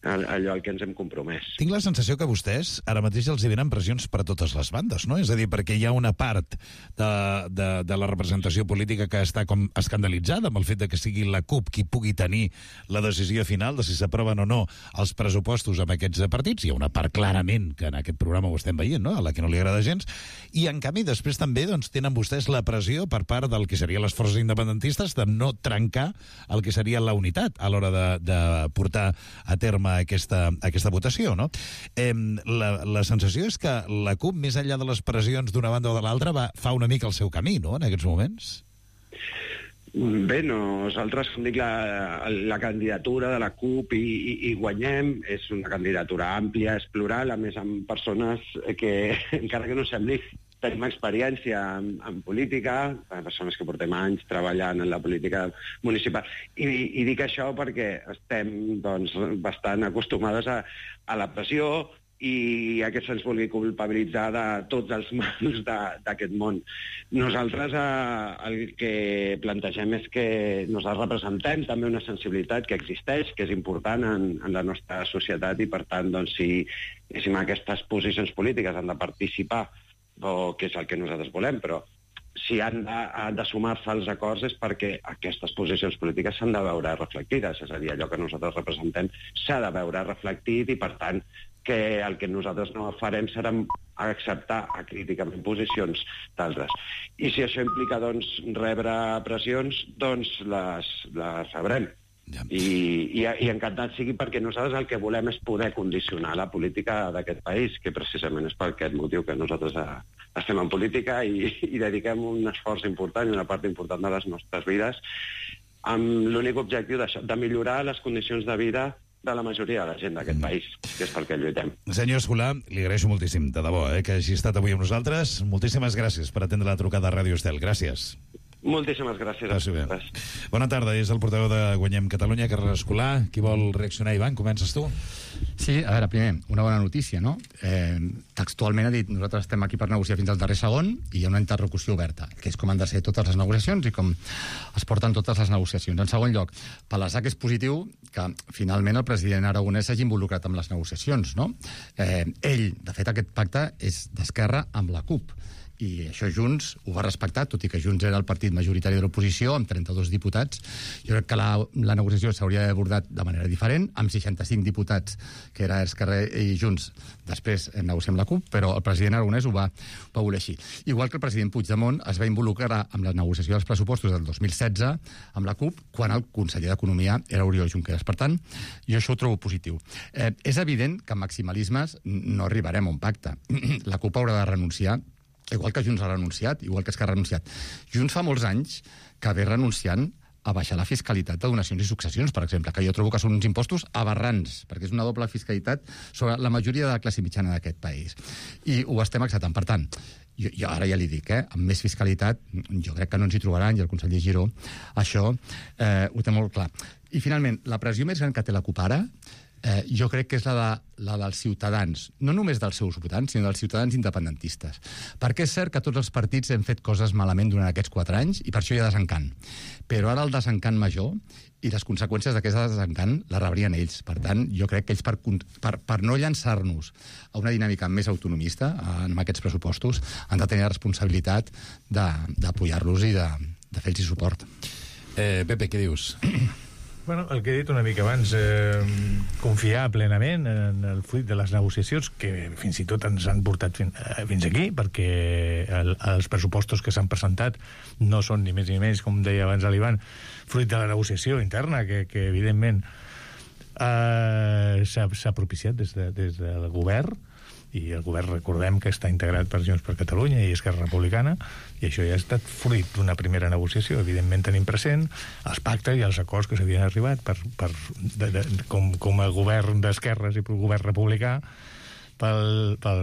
allò al que ens hem compromès. Tinc la sensació que vostès ara mateix els hi venen pressions per a totes les bandes, no? És a dir, perquè hi ha una part de, de, de la representació política que està com escandalitzada amb el fet de que sigui la CUP qui pugui tenir la decisió final de si s'aproven o no els pressupostos amb aquests partits. Hi ha una part clarament que en aquest programa ho estem veient, no? A la que no li agrada gens, i en canvi després també doncs, tenen vostès la pressió per part del que serien les forces independentistes de no trencar el que seria la unitat a l'hora de, de portar a terme aquesta, aquesta votació, no? Eh, la, la sensació és que la CUP, més enllà de les pressions d'una banda o de l'altra, va, fa una mica el seu camí, no?, en aquests moments? Bé, nosaltres, com dic, la, la candidatura de la CUP i, i, i Guanyem és una candidatura àmplia, és plural, a més amb persones que, encara que no sembli, tenim experiència en, en política, persones que portem anys treballant en la política municipal. I, i dic això perquè estem doncs, bastant acostumades a, a la pressió i aquest se'ns vulgui culpabilitzar de tots els mals d'aquest món. Nosaltres eh, el que plantegem és que nosaltres representem també una sensibilitat que existeix, que és important en, en la nostra societat, i per tant, doncs, si, si aquestes posicions polítiques han de participar, o que és el que nosaltres volem, però si han de, han de sumar-se als acords és perquè aquestes posicions polítiques s'han de veure reflectides, és a dir, allò que nosaltres representem s'ha de veure reflectit, i per tant que el que nosaltres no farem serà acceptar acríticament posicions d'altres. I si això implica, doncs, rebre pressions, doncs les, les rebrem. Ja. I, i, i encantat sigui, perquè nosaltres el que volem és poder condicionar la política d'aquest país, que precisament és per aquest motiu que nosaltres estem en política i, i dediquem un esforç important i una part important de les nostres vides amb l'únic objectiu d'això, de millorar les condicions de vida de la majoria de la gent d'aquest país, que és pel que lluitem. Senyor Escolà, li agraeixo moltíssim, de debò, eh, que hagi estat avui amb nosaltres. Moltíssimes gràcies per atendre la trucada a Ràdio Estel. Gràcies. Moltíssimes gràcies a vosaltres. Bona tarda, és el portaveu de Guanyem Catalunya, Carles Escolà. Qui vol reaccionar, Ivan? Comences tu? Sí, a veure, primer, una bona notícia, no? Eh, textualment ha dit, nosaltres estem aquí per negociar fins al darrer segon i hi ha una interlocució oberta, que és com han de ser totes les negociacions i com es porten totes les negociacions. En segon lloc, per l'A S A C és positiu que finalment el president aragonès s'hagi involucrat amb les negociacions, no? Eh, ell, de fet, aquest pacte és d'Esquerra amb la CUP, i això Junts ho va respectar, tot i que Junts era el partit majoritari de l'oposició, amb trenta-dos diputats. Jo crec que la, la negociació s'hauria d'haver abordat de manera diferent, amb seixanta-cinc diputats, que era Esquerra i Junts. Després negociar amb la CUP, però el president aragonès ho va, va voler així. Igual que el president Puigdemont es va involucrar amb la negociació dels pressupostos del dos mil setze amb la CUP, quan el conseller d'Economia era Oriol Junqueras. Per tant, jo això ho trobo positiu. Eh, és evident que amb maximalismes no arribarem a un pacte. La CUP haurà de renunciar, igual que Junts ha renunciat, igual que Esquerra ha renunciat. Junts fa molts anys que ve renunciant a baixar la fiscalitat de donacions i successions, per exemple, que jo trobo que són uns impostos aberrants, perquè és una doble fiscalitat sobre la majoria de la classe mitjana d'aquest país. I ho estem acceptant. Per tant, jo, jo ara ja li dic, eh, amb més fiscalitat, jo crec que no ens hi trobaran, i el conseller Giró això eh, ho té molt clar. I finalment, la pressió més gran que té la CUP ara, Eh, jo crec que és la, de, la dels ciutadans, no només dels seus votants, sinó dels ciutadans independentistes. Perquè és cert que tots els partits hem fet coses malament durant aquests quatre anys i per això hi ha desencant. Però ara el desencant major i les conseqüències d'aquest desencant les rebrien ells. Per tant, jo crec que ells, per, per, per no llançar-nos a una dinàmica més autonomista en aquests pressupostos, han de tenir la responsabilitat d'apoyar-los i de, de fer-los suport. Eh, Pepe, què dius? Bueno, el que he dit una mica abans, eh, confiar plenament en el fruit de les negociacions, que fins i tot ens han portat fin, eh, fins aquí, perquè el, els pressupostos que s'han presentat no són ni més ni menys, com deia abans l'Ivan, fruit de la negociació interna, que, que evidentment eh, s'ha propiciat des, de, des del govern, i el govern, recordem que està integrat per Junts per Catalunya i Esquerra Republicana, i això ja ha estat fruit d'una primera negociació. Evidentment tenim present els pactes i els acords que s'havien arribat per, per, de, de, com, com a govern d'esquerres i govern republicà pel, pel,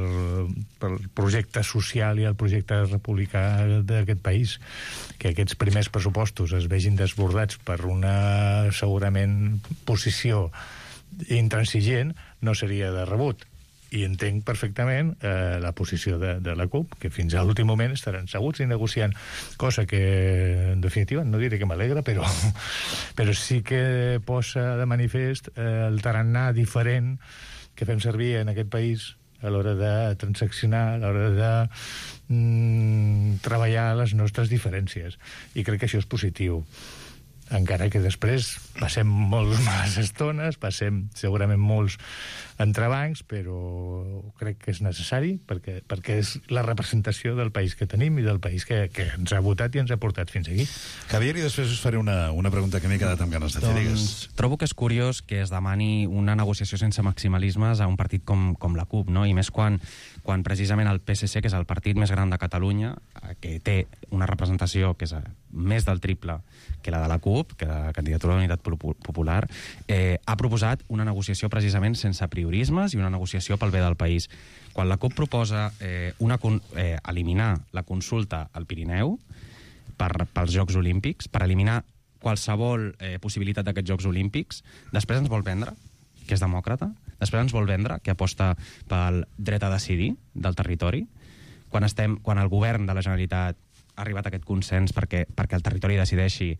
pel projecte social i el projecte republicà d'aquest país. Que aquests primers pressupostos es vegin desbordats per una, segurament, posició intransigent no seria de rebut. I entenc perfectament eh, la posició de, de la CUP, que fins a l'últim moment estaran seguts i negociant, cosa que, en definitiva, no diré que m'alegra, però, però sí que posa de manifest eh, el tarannà diferent que fem servir en aquest país a l'hora de transaccionar, a l'hora de mm, treballar les nostres diferències. I crec que això és positiu. Encara que després passem moltes males estones, passem segurament molts entrebancs, però crec que és necessari perquè, perquè és la representació del país que tenim i del país que, que ens ha votat i ens ha portat fins aquí. Javier, i després us faré una, una pregunta que m'he quedat amb ganes de fer. Doncs trobo que és curiós que es demani una negociació sense maximalismes a un partit com, com la CUP, no? I més quan, quan precisament el P S C, que és el partit més gran de Catalunya, que té una representació que és més del triple que la de la CUP, que la candidatura de l'Unitat Popular, eh, ha proposat una negociació precisament sense priorismes i una negociació pel bé del país. Quan la CUP proposa eh, una, eh, eliminar la consulta al Pirineu per, pels Jocs Olímpics, per eliminar qualsevol eh, possibilitat d'aquests Jocs Olímpics, després ens vol vendre que és demòcrata, Després ens vol vendre que aposta pel dret a decidir del territori, quan, estem, quan el govern de la Generalitat ha arribat a aquest consens perquè, perquè el territori decideixi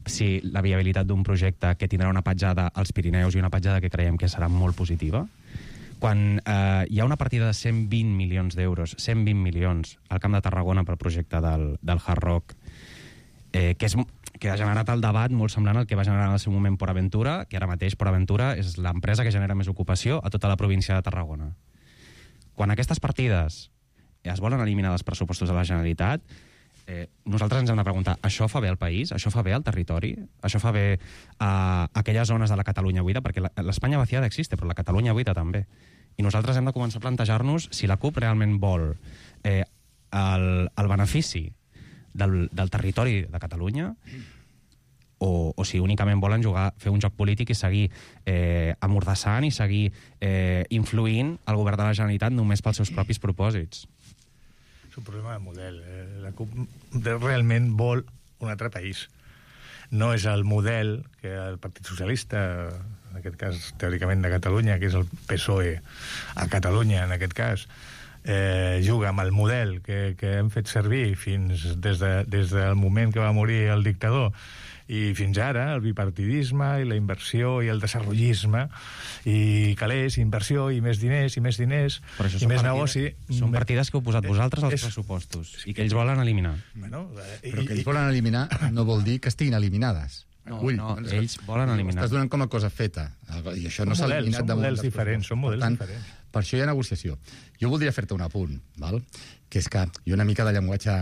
si la viabilitat d'un projecte que tindrà una petjada als Pirineus i una petjada que creiem que serà molt positiva, quan eh, hi ha una partida de cent vint milions d'euros, cent vint milions al Camp de Tarragona pel projecte del, del Hard Rock, eh, que, és, que ha generat el debat molt semblant al que va generar en el seu moment Port Aventura, que ara mateix Port Aventura és l'empresa que genera més ocupació a tota la província de Tarragona. Quan aquestes partides es volen eliminar dels pressupostos de la Generalitat, Eh, nosaltres ens hem de preguntar, això fa bé al país? Això fa bé al territori? Això fa bé a aquelles zones de la Catalunya buida? Perquè l'Espanya vaciada existe, però la Catalunya buida també. I nosaltres hem de començar a plantejar-nos si la CUP realment vol eh, el, el benefici del, del territori de Catalunya o, o si únicament volen jugar, fer un joc polític i seguir eh, amordassant i seguir eh, influint el govern de la Generalitat només pels seus propis propòsits. És un problema de model. La CUP realment vol un altre país. No és el model que el Partit Socialista, en aquest cas teòricament de Catalunya, que és el P S O E a Catalunya, en aquest cas, eh, juga amb el model que, que hem fet servir fins des, de, des del moment que va morir el dictador i fins ara, el bipartidisme i la inversió i el desenvolupisme i calés, inversió i més diners i més diners Però això i més partida, negoci. Són partides que heu posat vosaltres als és, pressupostos i que ells volen eliminar. Bueno, i, Però que ells volen eliminar no vol dir que estiguin eliminades. No, Ull, no, ells volen eliminar. Estàs donant com a cosa feta. I això no s'ha eliminat Són models diferents, són models tant, diferents. Per això hi ha negociació. Jo voldria fer-te un apunt, val? Que és que hi ha una mica de llenguatge,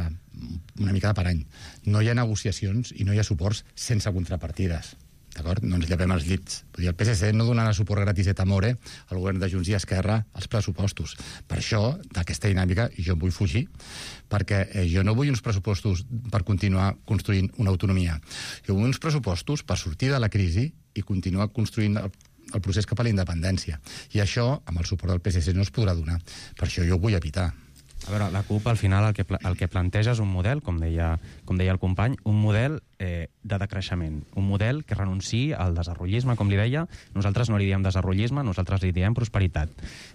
una mica de parany. No hi ha negociacions i no hi ha suports sense contrapartides. D'acord? No ens llevem els llits. Vull dir, el P S C no donarà suport gratis et amore al govern de Junts i Esquerra als pressupostos. Per això, d'aquesta dinàmica, jo vull fugir, perquè eh, jo no vull uns pressupostos per continuar construint una autonomia. Jo vull uns pressupostos per sortir de la crisi i continuar construint el, el procés cap a la independència. I això, amb el suport del P S C, no es podrà donar. Per això jo ho vull evitar. A veure, la CUP al final el que, el que planteja és un model, com deia, com deia el company, un model eh, de decreixement, un model que renunciï al desenvolupisme, com li deia. Nosaltres no li diem desenvolupisme, nosaltres li diem prosperitat.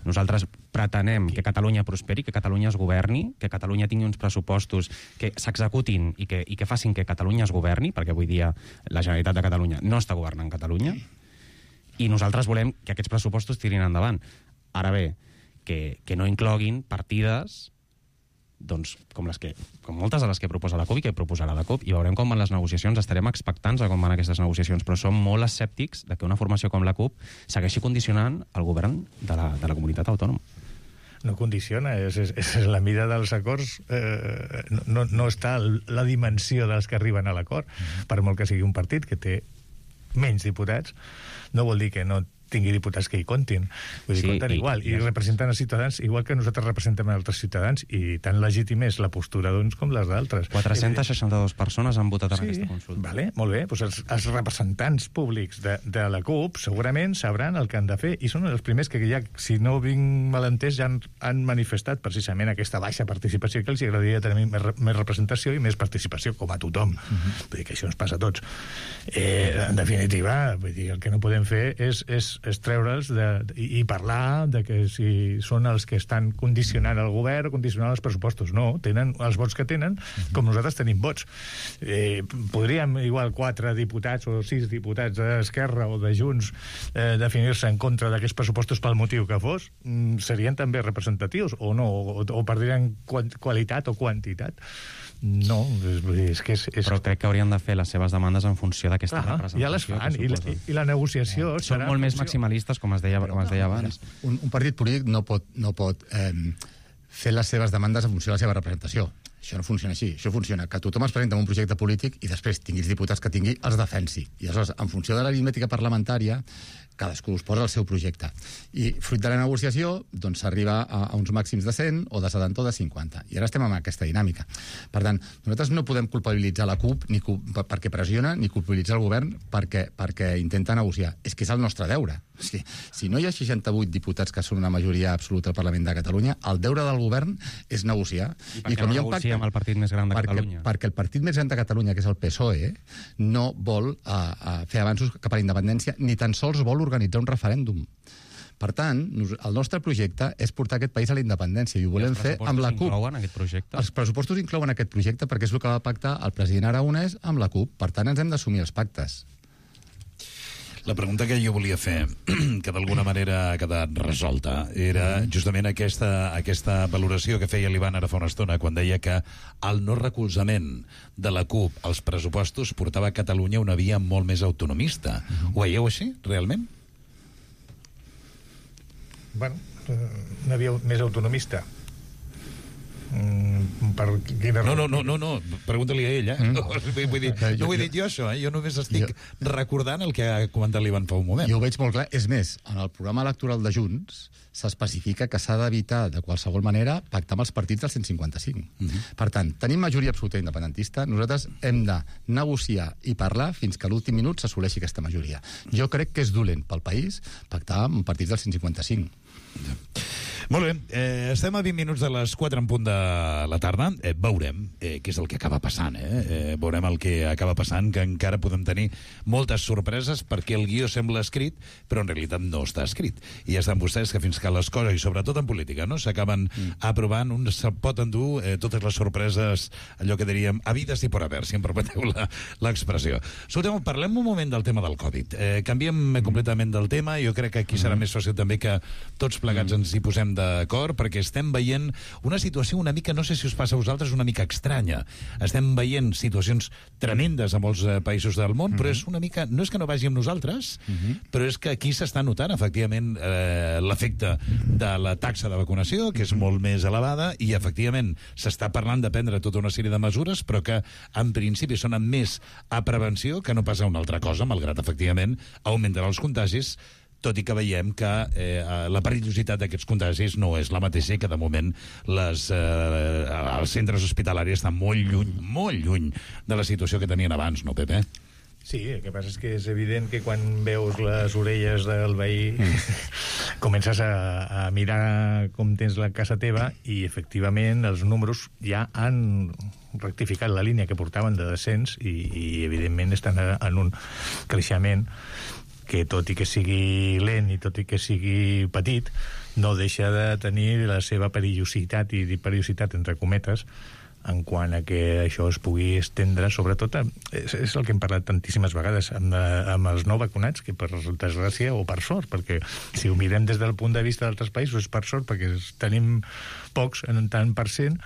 Nosaltres pretenem que Catalunya prosperi, que Catalunya es governi, que Catalunya tingui uns pressupostos que s'executin i, que, i que facin que Catalunya es governi, perquè avui dia la Generalitat de Catalunya no està governant Catalunya, i nosaltres volem que aquests pressupostos tirin endavant. Ara bé, que, que no incloguin partides doncs, com, les que, com moltes de les que proposa la CUP i que proposarà la CUP, i veurem com van les negociacions, estarem expectants a com van aquestes negociacions, però som molt escèptics de que una formació com la CUP segueixi condicionant el govern de la, de la comunitat autònoma. No condiciona, és, és, és la mida dels acords, eh, no, no està la dimensió dels que arriben a l'acord, per molt que sigui un partit que té menys diputats, no vol dir que no tingui diputats que hi comptin. Vull dir, sí, compten i, igual. I, I representen els ciutadans igual que nosaltres representem altres ciutadans, i tan legítim és la postura d'uns com les d'altres. quatre-centes seixanta-dues persones han votat en sí, aquesta consulta. Vale, molt bé. Doncs els, els representants públics de, de la CUP segurament sabran el que han de fer, i són els primers que ja, si no vinc mal entès, ja han, han manifestat precisament aquesta baixa participació, que els agradaria tenir més, més representació i més participació, com a tothom. Uh-huh. Vull dir que això ens passa a tots. Eh, en definitiva, vull dir, el que no podem fer és, és és treure'ls de, i, i parlar de que si són els que estan condicionant el govern o condicionant els pressupostos. No, tenen els vots que tenen, com nosaltres tenim vots. Eh, podríem, igual, quatre diputats o sis diputats d'Esquerra o de Junts eh, definir-se en contra d'aquests pressupostos pel motiu que fos, mm, serien també representatius o no, o, o perdrien qualitat o quantitat. No, és, és que és, és... Però crec que haurien de fer les seves demandes en funció d'aquesta ah, representació. Ja les fan, i la, i la negociació... Eh, són molt més maximalistes, com es deia, com es deia abans. Un, un partit polític no pot, no pot eh, fer les seves demandes en funció de la seva representació. Això no funciona així. Això funciona que tothom es presenta en un projecte polític i després tingui els diputats que tingui, els defensi. I aleshores, en funció de l'aritmètica parlamentària, cadascú es posa el seu projecte. I, fruit de la negociació, doncs s'arriba a, a uns màxims de cent, o de setanta, o de cinquanta. I ara estem amb aquesta dinàmica. Per tant, nosaltres no podem culpabilitzar la CUP ni cu perquè pressiona, ni culpabilitzar el govern perquè, perquè intenta negociar. És que és el nostre deure. O sigui, si no hi ha seixanta-vuit diputats que són una majoria absoluta al Parlament de Catalunya, el deure del govern és negociar. I per què no negocia amb el partit més gran de perquè, Catalunya? Perquè el partit més gran de Catalunya, que és el P S O E, no vol uh, uh, fer avanços cap a la independència, ni tan sols vol organitzar un referèndum. Per tant, el nostre projecte és portar aquest país a la independència i ho volem fer amb la CUP. Els pressupostos inclouen aquest projecte? Els pressupostos inclouen aquest projecte perquè és el que va pactar el president Aragonès amb la CUP. Per tant, ens hem d'assumir els pactes. La pregunta que jo volia fer, que d'alguna manera ha quedat resolta, era justament aquesta, aquesta valoració que feia l'Ivan ara fa una estona, quan deia que el no recolzament de la CUP als pressupostos portava a Catalunya una via molt més autonomista. Ho veieu així, realment? Bueno, una via més autonomista. Mm, per quina no, no, no, no, no, pregunta-li a ell, eh? Mm. No, vull dir, no ho he dit jo, això, eh? Jo només estic jo, recordant el que ha comentat l'Ivan fa un moment. Jo ho veig molt clar. És més, en el programa electoral de Junts s'especifica que s'ha d'evitar, de qualsevol manera, pactar amb els partits del cent cinquanta-cinc. Mm-hmm. Per tant, tenim majoria absoluta independentista, nosaltres hem de negociar i parlar fins que a l'últim minut s'assoleixi aquesta majoria. Jo crec que és dolent pel país pactar amb partits del cent cinquanta-cinc. Ja. Molt bé, eh, estem a vint minuts de les quatre en punt de la tarda. Eh, veurem eh, què és el que acaba passant. Eh? Eh, veurem el que acaba passant, que encara podem tenir moltes sorpreses perquè el guió sembla escrit, però en realitat no està escrit. I ja estan vostès que fins que les coses, i sobretot en política, no s'acaben mm. aprovant, un se pot endur eh, totes les sorpreses, allò que diríem, habides i por haver, si em permeteu l'expressió. Escolteu, parlem un moment del tema del Covid. Eh, canviem mm. completament del tema. Jo crec que aquí serà mm. més fàcil també que tots plegats mm. ens hi posem d'acord, perquè estem veient una situació una mica, no sé si us passa a vosaltres, una mica estranya. Estem veient situacions tremendes a molts eh, països del món, mm-hmm. però és una mica, no és que no vagi amb nosaltres, mm-hmm. però és que aquí s'està notant, efectivament, eh, l'efecte de la taxa de vacunació, que és mm-hmm. molt més elevada, i, efectivament, s'està parlant de prendre tota una sèrie de mesures, però que, en principi, sonen més a prevenció que no pas a una altra cosa, malgrat, efectivament, augmentarà els contagis, tot i que veiem que eh, la perillositat d'aquests contagis no és la mateixa i que, de moment, les, eh, els centres hospitalaris estan molt lluny, molt lluny de la situació que tenien abans, no, Pepe? Sí, el que passa és que és evident que quan veus les orelles del veí mm. comences a, a mirar com tens la casa teva i, efectivament, els números ja han rectificat la línia que portaven de descens i, i evidentment, estan en un creixement que, tot i que sigui lent i tot i que sigui petit, no deixa de tenir la seva perillositat, i dir perillositat entre cometes, en quant a que això es pugui estendre, sobretot, és, és el que hem parlat tantíssimes vegades, amb, amb els no vacunats, que per desgràcia o per sort, perquè si ho mirem des del punt de vista d'altres països és per sort, perquè tenim pocs en tant per cent,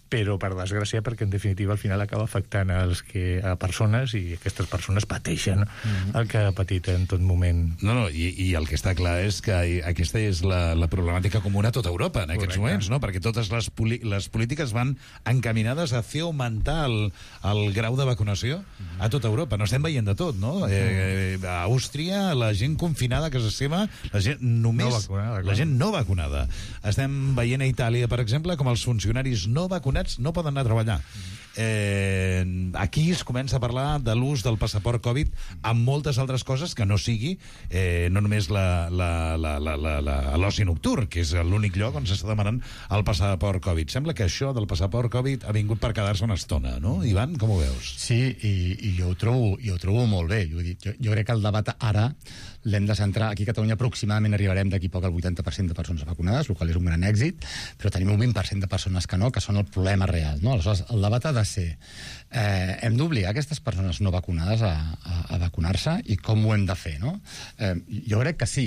però per desgràcia perquè en definitiva al final acaba afectant els que, a persones, i aquestes persones pateixen mm-hmm. el que ha patit en tot moment. No, no, i, i el que està clar és que aquesta és la, la problemàtica comuna a tota Europa en aquests Correcte. moments, no? Perquè totes les, les polítiques van encaminades a fer augmentar el, el grau de vacunació mm-hmm. a tota Europa. No estem veient de tot, no? Mm-hmm. Eh, a Àustria, la gent confinada a casa seva, la gent només... No vacunada, la gent no vacunada. Estem veient a Itàlia, per exemple, com els funcionaris no vacunats no poden anar a treballar. Eh, aquí es comença a parlar de l'ús del passaport Covid amb moltes altres coses que no sigui eh, no només l'oci nocturn, que és l'únic lloc on s'està demanant el passaport Covid. Sembla que això del passaport Covid ha vingut per quedar-se una estona, no? Ivan, com ho veus? Sí, i, i jo, ho trobo, jo ho trobo molt bé. Jo, jo, jo crec que el debat ara l'hem de centrar. Aquí a Catalunya aproximadament arribarem d'aquí poc al vuitanta per cent de persones vacunades, el qual és un gran èxit, però tenim un vint per cent de persones que no, que són el problema real. No? Aleshores, el debat ha de ser eh, hem d'obligar aquestes persones no vacunades a, a, a vacunar-se i com ho hem de fer, no? Eh, jo crec que sí,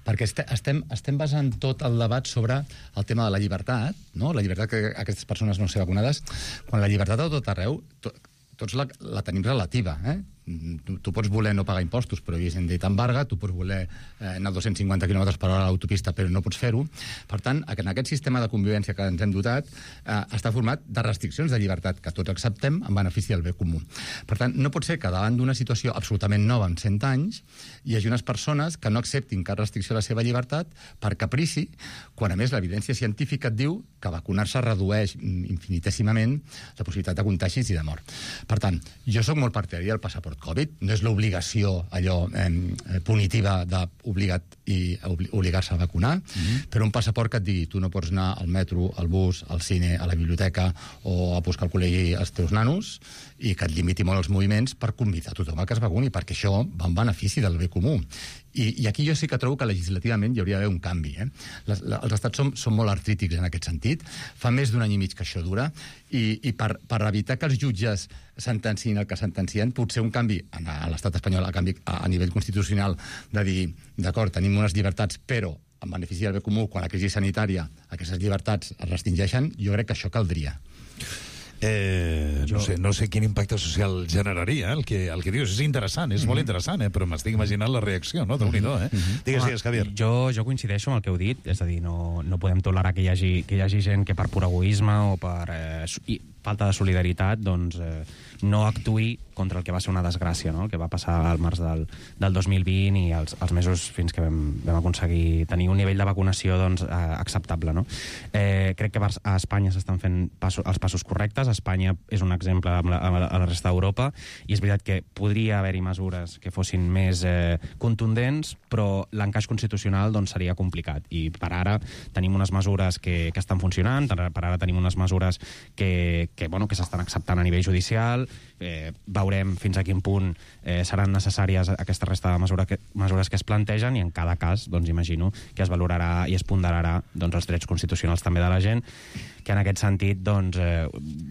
perquè estem, estem basant tot el debat sobre el tema de la llibertat, no? La llibertat que aquestes persones no ser vacunades, quan la llibertat a tot arreu, to, tots la, la tenim relativa, eh? Tu, tu pots voler no pagar impostos, però haguessin dit embarga, tu pots voler eh, anar a dos-cents cinquanta quilòmetres per hora a l'autopista, però no pots fer-ho. Per tant, en aquest sistema de convivència que ens hem dotat, eh, està format de restriccions de llibertat que tots acceptem en benefici del bé comú. Per tant, no pot ser que davant d'una situació absolutament nova en cent anys hi hagi unes persones que no acceptin cap restricció de la seva llibertat per caprici, quan a més l'evidència científica et diu que vacunar-se redueix infinitèsimament la possibilitat de contagis i de mort. Per tant, jo sóc molt partidari del passaport Covid, no és l'obligació allò eh, punitiva d'obligat i obligar-se a vacunar, mm-hmm. però un passaport que et digui tu no pots anar al metro, al bus, al cine, a la biblioteca o a buscar al col·legi els teus nanos, i que et limiti molt els moviments per convidar tothom a que es vacuni, perquè això va en benefici del bé comú. I, i aquí jo sí que trobo que legislativament hi hauria d'haver un canvi. Eh? Les, la, els estats són, són molt artrítics en aquest sentit. Fa més d'un any i mig que això dura, i, i per, per evitar que els jutges sentencien el que sentencien, potser un canvi a, a l'estat espanyol, a, canvi, a, a nivell constitucional, de dir, d'acord, tenim unes llibertats, però en benefici del bé comú, quan la crisi sanitària aquestes llibertats es restringeixen, jo crec que això caldria. Eh, no, sé, no sé quin impacte social generaria, eh, el, que, el que dius. És interessant, és mm-hmm. molt interessant, eh, però m'estic imaginant la reacció, no? Déu-n'hi-do, eh? Mm-hmm. Digues, digues, Javier. Jo, jo coincideixo amb el que heu dit, és a dir, no, no podem tolerar que hi hagi, que hi hagi gent que per pur egoisme o per eh, falta de solidaritat, doncs, eh, no actuï contra el que va ser una desgràcia, no? El que va passar al març del, del dos mil vint i els, els mesos fins que vam, vam aconseguir tenir un nivell de vacunació doncs, eh, acceptable, no? Eh, crec que a Espanya s'estan fent passos, els passos correctes. Espanya és un exemple a la, a la resta d'Europa, i és veritat que podria haver-hi mesures que fossin més eh, contundents, però l'encaix constitucional doncs, seria complicat. I per ara tenim unes mesures que, que estan funcionant, per ara tenim unes mesures que, que, bueno, que s'estan acceptant a nivell judicial. Eh, veurem fins a quin punt eh, seran necessàries aquesta resta de mesura que, mesures que es plantegen, i en cada cas, doncs, imagino que es valorarà i es ponderarà doncs, els drets constitucionals també de la gent, que en aquest sentit doncs, eh,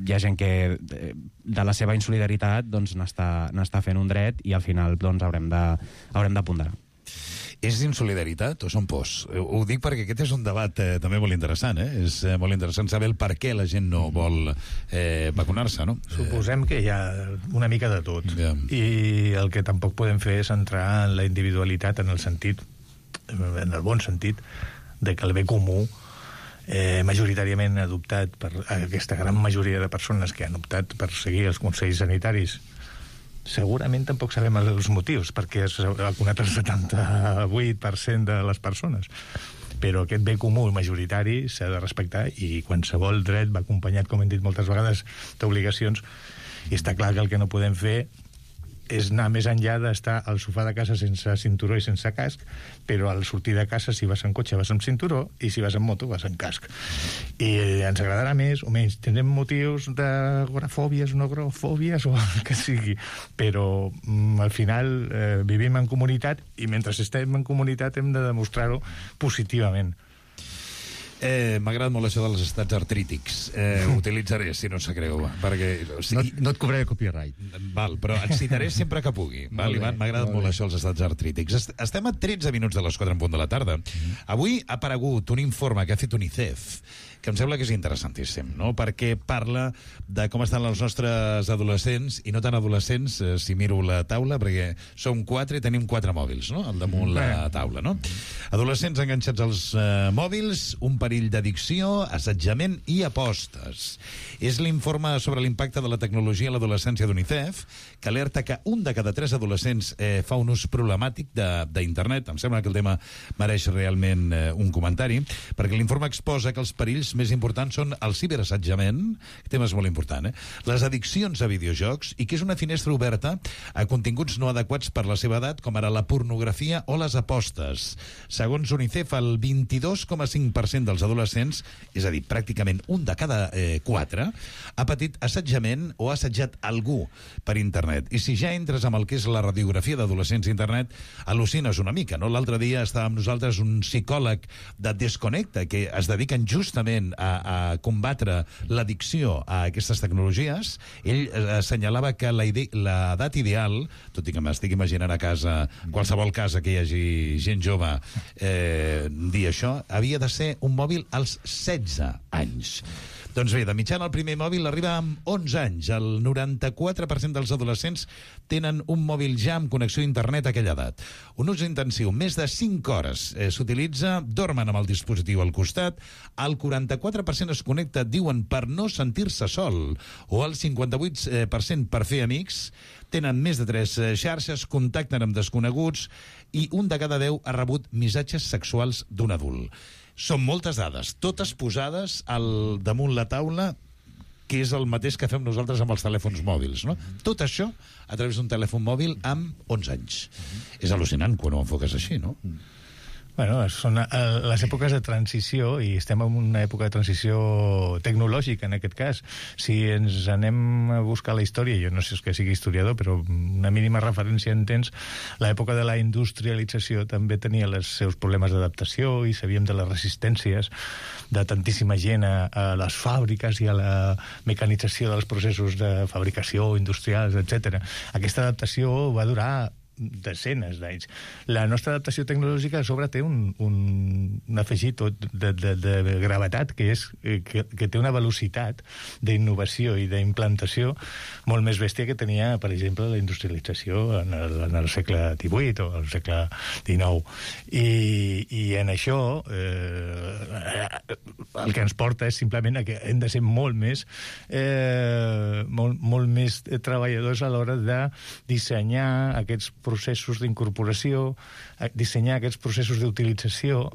hi ha gent que eh, de la seva insolidaritat doncs, n'està n'està fent un dret, i al final doncs, haurem de, haurem de ponderar. És insolidaritat o són pors? Ho dic perquè aquest és un debat eh, també molt interessant, eh? És eh, molt interessant saber el per què la gent no vol eh, vacunar-se, no? Suposem que hi ha una mica de tot. Yeah. I el que tampoc podem fer és entrar en la individualitat en el sentit, en el bon sentit, de que el bé comú eh, majoritàriament adoptat per aquesta gran majoria de persones que han optat per seguir els consells sanitaris. Segurament tampoc sabem els motius, perquè s'ha vacunat el setanta-vuit per cent de les persones. Però aquest bé comú majoritari s'ha de respectar, i qualsevol dret va acompanyat, com hem dit moltes vegades, d'obligacions, i està clar que el que no podem fer és anar més enllà d'estar al sofà de casa sense cinturó i sense casc, però al sortir de casa, si vas en cotxe, vas amb cinturó, i si vas en moto, vas en casc. I ens agradarà més o menys. Tindrem motius d'agorafòbies, no agorafòbies, o el que sigui, però mm, al final eh, vivim en comunitat, i mentre estem en comunitat hem de demostrar-ho positivament. Eh, M'ha agradat molt això dels estats artrítics. Eh, ho utilitzaré, si no sap greu, perquè... O sigui, no, no et cobraré copyright. Val, però et citaré sempre que pugui. Val, Ivan? M'ha agradat molt, molt això, els estats artrítics. Est Estem a tretze minuts de les quatre en punt de la tarda. Mm. Avui ha aparegut un informe que ha fet UNICEF, que em sembla que és interessantíssim, no? Perquè parla de com estan els nostres adolescents, i no tan adolescents, eh, si miro la taula, perquè som quatre i tenim quatre mòbils, no?, al damunt mm. la taula, no? Adolescents enganxats als eh, mòbils, un perill d'addicció, assetjament i apostes. És l'informe sobre l'impacte de la tecnologia a l'adolescència d'UNICEF, que alerta que un de cada tres adolescents eh, fa un ús problemàtic d'internet. Em sembla que el tema mereix realment eh, un comentari, perquè l'informe exposa que els perills més importants són el ciberassetjament, tema és molt important, eh? les addiccions a videojocs, i que és una finestra oberta a continguts no adequats per la seva edat, com ara la pornografia o les apostes. Segons UNICEF, el vint-i-dos coma cinc per cent dels adolescents, és a dir, pràcticament un de cada eh, quatre, ha patit assetjament o ha assetjat algú per internet. I si ja entres amb el que és la radiografia d'adolescents a internet, al·lucines una mica, no? L'altre dia estava amb nosaltres un psicòleg de Desconnecta, que es dediquen justament a, a combatre l'addicció a aquestes tecnologies. Ell eh, assenyalava que l'edat ideal, tot i que m'estic imaginant a casa, qualsevol casa que hi hagi gent jove eh, dir això, havia de ser un mòbil als setze anys. Doncs bé, de mitjana el primer mòbil arriba amb onze anys. El noranta-quatre per cent dels adolescents tenen un mòbil ja amb connexió a internet a aquella edat. Un ús intensiu, més de cinc hores eh, s'utilitza, dormen amb el dispositiu al costat, el quaranta-quatre per cent es connecta, diuen, per no sentir-se sol, o el cinquanta-vuit per cent per fer amics, tenen més de tres xarxes, contacten amb desconeguts, i un de cada deu ha rebut missatges sexuals d'un adult. Són moltes dades, totes posades al damunt la taula que és el mateix que fem nosaltres amb els telèfons mòbils, no? Tot això a través d'un telèfon mòbil amb onze anys. És al·lucinant quan ho enfoques així, no? Bueno, són eh, les èpoques de transició, i estem en una època de transició tecnològica, en aquest cas. Si ens anem a buscar la història, jo no sé que sigui historiador, però una mínima referència en temps, l'època de la industrialització també tenia els seus problemes d'adaptació i sabíem de les resistències de tantíssima gent a, a les fàbriques i a la mecanització dels processos de fabricació, industrials, etcètera. Aquesta adaptació va durar desenes d'anys. La nostra adaptació tecnològica a sobre té un, un, un afegit de, de, de gravetat que és que, que té una velocitat d'innovació i d'implantació molt més bèstia que tenia, per exemple, la industrialització en el, en el segle divuit o el segle dinou. I, i en això eh, el que ens porta és simplement a que hem de ser molt més eh, molt, molt més treballadors a l'hora de dissenyar aquests processos d'incorporació, dissenyar aquests processos d'utilització,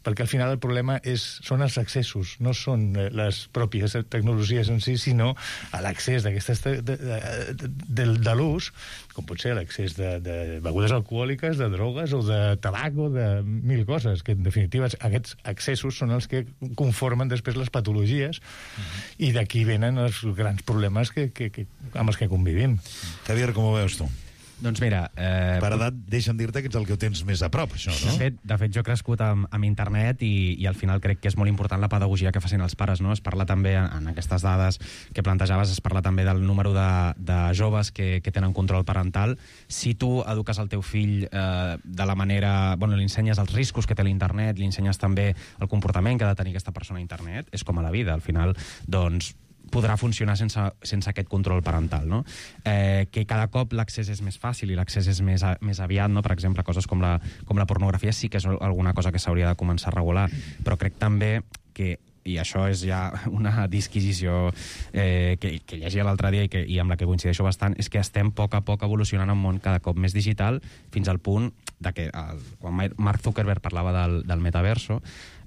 perquè al final el problema és, són els accessos, no són les pròpies tecnologies en si, sinó a l'accés d'aquestes de, de, de, de, de l'ús, com pot ser l'accés de, de begudes alcohòliques, de drogues o de tabac o de mil coses, que en definitiva aquests accessos són els que conformen després les patologies mm-hmm. i d'aquí venen els grans problemes que, que, que, amb els que convivim. Javier, com ho veus tu? Doncs mira... Eh, per edat, deixa'm dir-te que ets el que ho tens més a prop, això, no? De fet, de fet jo he crescut amb, amb internet i, i al final crec que és molt important la pedagogia que facin els pares, no? Es parla també, en aquestes dades que plantejaves, es parla també del número de, de joves que, que tenen control parental. Si tu eduques el teu fill eh, de la manera... Bueno, li ensenyes els riscos que té l'internet, li ensenyes també el comportament que ha de tenir aquesta persona a internet, és com a la vida, al final, doncs podrà funcionar sense, sense aquest control parental, no? Eh, que cada cop l'accés és més fàcil i l'accés és més, a, més aviat, no? Per exemple, coses com la, com la pornografia sí que és alguna cosa que s'hauria de començar a regular, però crec també que, i això és ja una disquisició eh, que, que llegia l'altre dia i, que, i amb la que coincideixo bastant, és que estem a poc a poc evolucionant en un món cada cop més digital fins al punt de que el, quan Mark Zuckerberg parlava del, del metaverso,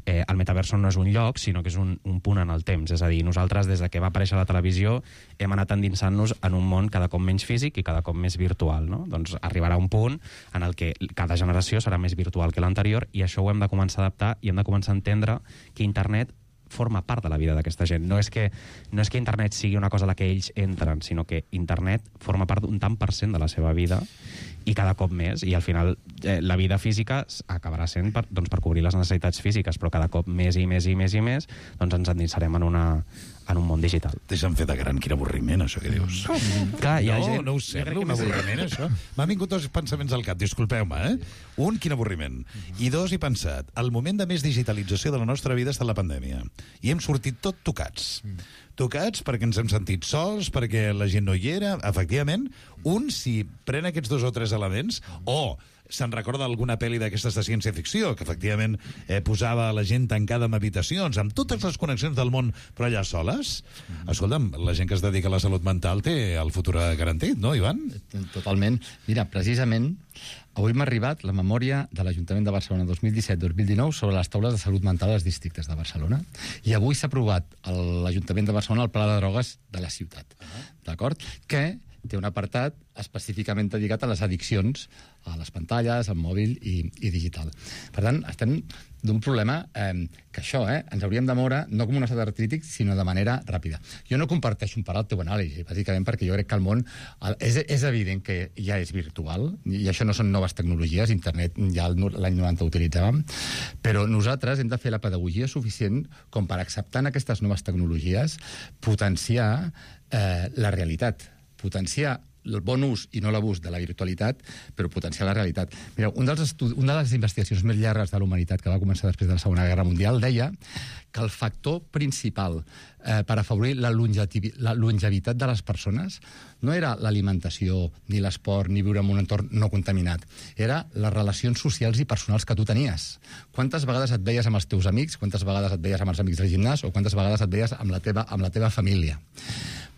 Eh, el metaverso no és un lloc, sinó que és un, un punt en el temps. És a dir, nosaltres, des de que va aparèixer la televisió, hem anat endinsant-nos en un món cada cop menys físic i cada cop més virtual, no? Doncs arribarà un punt en el que cada generació serà més virtual que l'anterior i això ho hem de començar a adaptar i hem de començar a entendre que internet forma part de la vida d'aquesta gent. No és que, no és que internet sigui una cosa a la que ells entren, sinó que internet forma part d'un tant per cent de la seva vida i cada cop més, i al final eh, la vida física acabarà sent per, doncs, per cobrir les necessitats físiques, però cada cop més i més i més i més doncs ens endinsarem en, una, en un món digital. Deixa'm fer de gran, quin avorriment, això que dius. Clar, hi ha no, gent... no ho sembla, un avorriment, això. M'han vingut dos pensaments al cap, disculpeu-me, eh? Un, quin avorriment. I dos, he pensat, el moment de més digitalització de la nostra vida està la pandèmia. I hem sortit tot tocats. Tocats perquè ens hem sentit sols, perquè la gent no hi era. Efectivament, un, si pren aquests dos o tres elements, o se'n recorda alguna pel·li d'aquestes de ciència-ficció, que efectivament eh, posava la gent tancada en habitacions, amb totes les connexions del món, però allà soles. Escolta'm, la gent que es dedica a la salut mental té el futur garantit, no, Ivan? Totalment. Mira, precisament, avui m'ha arribat la memòria de l'Ajuntament de Barcelona dos mil disset dos mil dinou sobre les taules de salut mental als districtes de Barcelona. I avui s'ha aprovat a l'Ajuntament de Barcelona el Pla de Drogues de la ciutat. D'acord? Que té un apartat específicament dedicat a les addiccions a les pantalles, al mòbil i, i digital. Per tant, estem d'un problema eh, que això, eh, ens hauríem de moure no com un estat artrític, sinó de manera ràpida. Jo no comparteixo un part el teu anàlisi, bàsicament perquè jo crec que el món és, és evident que ja és virtual, i això no són noves tecnologies, internet ja l'any noranta utilitzàvem, però nosaltres hem de fer la pedagogia suficient com per acceptar en aquestes noves tecnologies potenciar eh, la realitat, potenciar el bon ús i no l'abús de la virtualitat, però potenciar la realitat. Mireu, un dels estudi- una de les investigacions més llargues de la humanitat que va començar després de la Segona Guerra Mundial deia que el factor principal eh, per afavorir la, longevi- la longevitat de les persones no era l'alimentació, ni l'esport, ni viure en un entorn no contaminat. Era les relacions socials i personals que tu tenies. Quantes vegades et veies amb els teus amics, quantes vegades et veies amb els amics del gimnàs o quantes vegades et veies amb la teva, amb la teva família.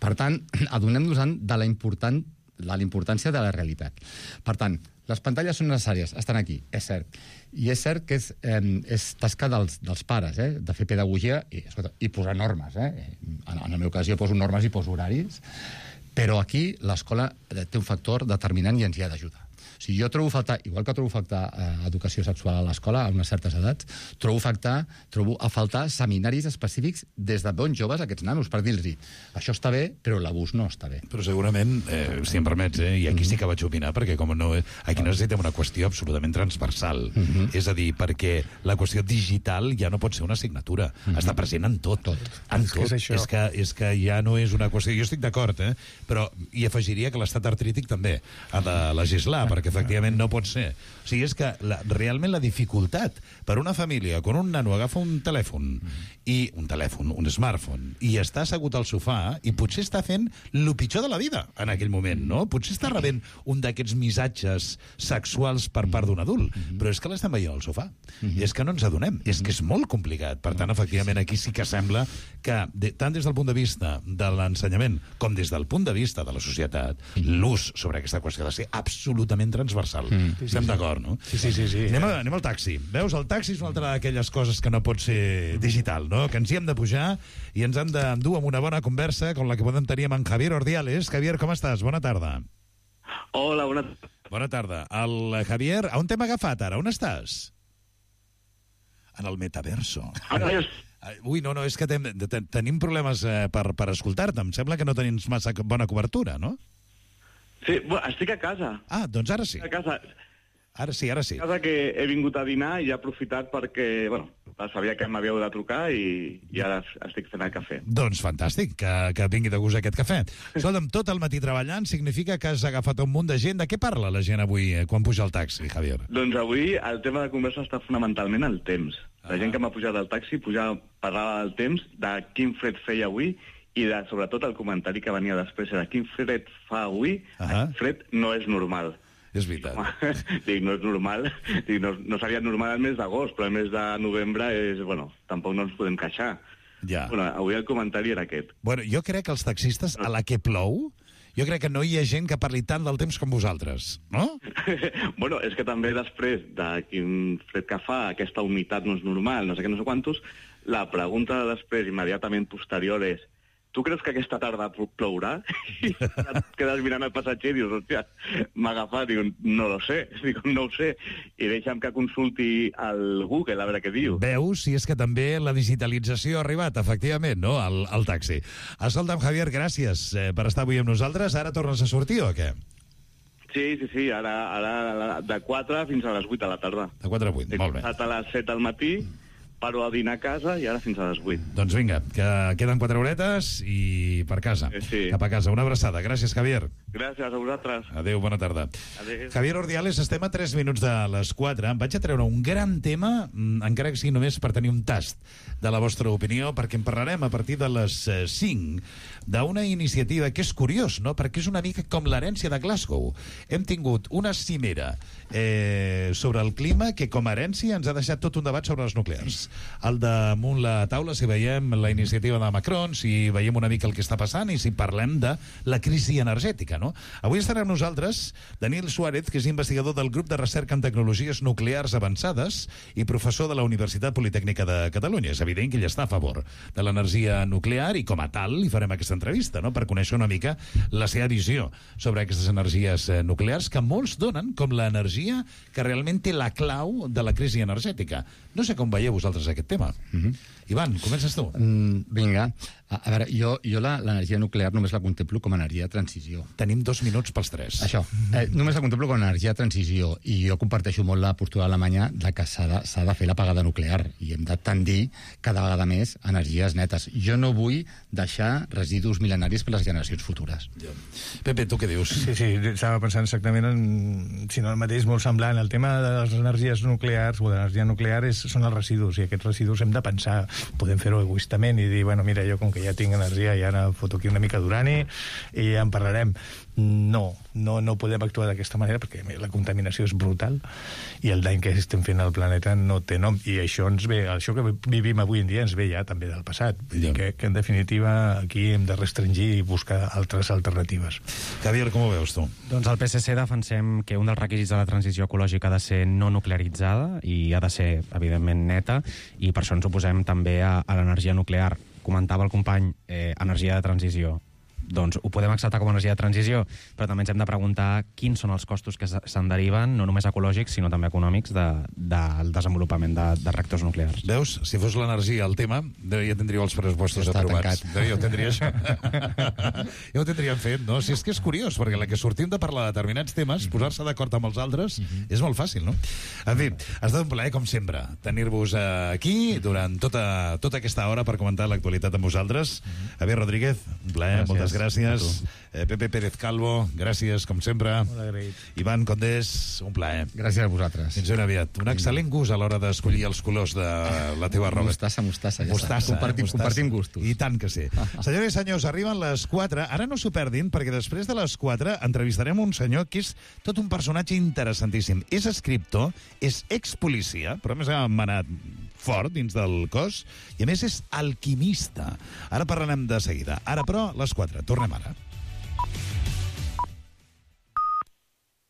Per tant, adonem-nos de la important la importància de la realitat. Per tant, les pantalles són necessàries, estan aquí, és cert. I és cert que és, eh, és tasca dels, dels pares, eh, de fer pedagogia i, escolta, i posar normes. Eh? En, en el meu cas jo poso normes i poso horaris, però aquí l'escola té un factor determinant i ens hi ha d'ajudar. O sigui, jo trobo faltar, igual que trobo faltar eh, educació sexual a l'escola a unes certes edats, trobo, faltar, trobo a faltar seminaris específics des de bons joves a aquests nanos, per dir-los això està bé, però l'abús no està bé. Però segurament, eh, si em permets, eh, i aquí sí que vaig opinar, perquè com no, aquí necessitem una qüestió absolutament transversal. Uh -huh. És a dir, perquè la qüestió digital ja no pot ser una assignatura. Uh -huh. Està present en tot. tot. En tot. És, que és, que, és que ja no és una qüestió... Jo estic d'acord, eh? Però hi afegiria que l'estat artrític també ha de legislar, perquè efectivament no pot ser. O sigui, és que la, realment la dificultat per una família, quan un nano agafa un telèfon, i un telèfon, un smartphone, i està assegut al sofà, i potser està fent el pitjor de la vida en aquell moment, no? Potser està rebent un d'aquests missatges sexuals per part d'un adult, però és que l'estem veient al sofà. I és que no ens adonem. És que és molt complicat. Per tant, efectivament, aquí sí que sembla que, de, tant des del punt de vista de l'ensenyament com des del punt de vista de la societat, l'ús sobre aquesta qüestió ha de ser absolutament transversal. Mm. Sí, Estem sí, d'acord, no? Sí, sí, sí. sí. Anem, a, anem al taxi. Veus, el taxi és una altra d'aquelles coses que no pot ser digital, no? Que ens hi hem de pujar i ens hem d'endur amb una bona conversa com la que podem tenir amb en Javier Ordiales. Javier, com estàs? Bona tarda. Hola, bona tarda. Bona tarda. El Javier, on t'hem agafat ara? On estàs? En el metaverso. Ara és... Ui, no, no, és que ten, ten, tenim problemes eh, per, per escoltar-te. Em sembla que no tenim massa bona cobertura, no? Sí, bueno, estic a casa. Ah, doncs ara sí. A casa. Ara sí, ara sí. A casa que he vingut a dinar i he aprofitat perquè, bueno, sabia que m'havíeu de trucar i, i ara estic fent el cafè. Doncs fantàstic, que, que vingui de gust aquest cafè. Escolta'm, tot el matí treballant significa que has agafat un munt de gent. De què parla la gent avui eh, quan puja al taxi, Javier? Doncs avui el tema de conversa està fonamentalment el temps. La ah. gent que m'ha pujat al taxi pujava, parlava del temps, de quin fred feia avui i de, sobretot el comentari que venia després era quin fred fa avui, ah. el fred no és normal. És veritat. Dic, no és normal. Dic, no, no seria normal el mes d'agost, però el mes de novembre és, bueno, tampoc no ens podem queixar. Ja. Bueno, avui el comentari era aquest. Bueno, jo crec que els taxistes, a la que plou, jo crec que no hi ha gent que parli tant del temps com vosaltres, no? Bueno, és que també després de quin fred que fa, aquesta humitat no és normal, no sé què, no sé quantos, la pregunta de després, immediatament posterior, és tu creus que aquesta tarda plourà? I et quedes mirant el passatger i dius, hòstia, m'ha agafat, dic, no lo sé, dic, no ho sé, i deixa'm que consulti el Google a veure què diu. Veus si és que també la digitalització ha arribat, efectivament, no?, al, al taxi. Escolta'm, Javier, gràcies eh, per estar avui amb nosaltres. Ara tornes a sortir o què? Sí, sí, sí, ara, ara de quatre fins a les vuit de la tarda. De quatre a vuit, He molt bé. He començat a les set del matí, paro a dinar a casa i ara fins a les vuit. Doncs vinga, que queden quatre horetes i per casa, sí, sí. cap a casa. Una abraçada. Gràcies, Javier. Gràcies a vosaltres. Adéu, bona tarda. Adéu. Javier Ordiales, estem a tres minuts de les quatre. Em vaig a treure un gran tema, encara que sigui només per tenir un tast de la vostra opinió, perquè en parlarem a partir de les cinc d'una iniciativa que és curiós, no?, perquè és una mica com l'herència de Glasgow. Hem tingut una cimera eh, sobre el clima que com a herència ens ha deixat tot un debat sobre les nuclears. Al damunt la taula, si veiem la iniciativa de Macron, si veiem una mica el que està passant i si parlem de la crisi energètica, no? Avui estarà amb nosaltres Daniel Suárez, que és investigador del grup de recerca en tecnologies nuclears avançades i professor de la Universitat Politècnica de Catalunya. És evident que ell està a favor de l'energia nuclear i com a tal li farem aquesta entrevista, no?, per conèixer una mica la seva visió sobre aquestes energies nuclears que molts donen com l'energia que realment té la clau de la crisi energètica. No sé com veieu vosaltres aquest tema. Mm-hmm. Ivan, comences tu. Mm, vinga. A, a veure, jo, jo l'energia nuclear només la contemplo com a energia de transició. Tenim dos minuts pels tres. Això. Eh, només la contemplo com a energia de transició i jo comparteixo molt la postura alemanya de que s'ha de, s'ha de fer l'apagada nuclear i hem de tendir cada vegada més energies netes. Jo no vull deixar residus mil·lenaris per les generacions futures. Ja. Pepe, tu què dius? Sí, sí, estava pensant exactament en, si no el mateix, molt semblant. El tema de les energies nuclears o de l'energia nuclear és, són els residus, i aquests residus hem de pensar, podem fer-ho egoistament i dir, bueno, mira, jo com que ja tinc energia ja ara foto aquí una mica d'urani i ja en parlarem. no, no, no podem actuar d'aquesta manera perquè la contaminació és brutal i el dany que estem fent al planeta no té nom, i això ens ve, això que vivim avui en dia ens ve ja també del passat. Vull dir que, que en definitiva aquí hem de restringir i buscar altres alternatives. Javier, com ho veus tu? Doncs al P S C defensem que un dels requisits de la transició ecològica ha de ser no nuclearitzada i ha de ser, evidentment, neta, i per això ens oposem també a, a l'energia nuclear. Comentava el company, eh, energia de transició. Doncs ho podem acceptar com a energia de transició, però també ens hem de preguntar quins són els costos que se'n deriven, no només ecològics, sinó també econòmics, de, del desenvolupament de, de reactors nuclears. Veus? Si fos l'energia el tema, ja tindríeu els pressupostos ja aprovats. Ja ho tindria això. Ja ho tindríem fet, no? Si és que és curiós, perquè la que sortim de parlar de determinats temes, posar-se d'acord amb els altres, és molt fàcil, no? En fi, ha estat un plaer, com sempre, tenir-vos aquí durant tota, tota aquesta hora per comentar l'actualitat amb vosaltres. Javier Rodríguez, un plaer, moltes gràcies. Gràcies. Eh, Pepe Pérez Calvo, gràcies, com sempre. Molt agraït. Ivan Condés, un plaer. Gràcies a vosaltres. Fins ben aviat. Un excel·lent gust a l'hora d'escollir els colors de la teva roba. Mostassa, mostassa. Ja mostassa, compartim, mostassa. compartim gustos. I tant que sí. Senyores i senyors, arriben les quatre. Ara no s'ho perdin, perquè després de les quatre entrevistarem un senyor que és tot un personatge interessantíssim. És escriptor, és expolicia, però a més ha manat fort dins del cos, i a més és alquimista. Ara parlarem de seguida. Ara, però, les quatre. Tornem ara.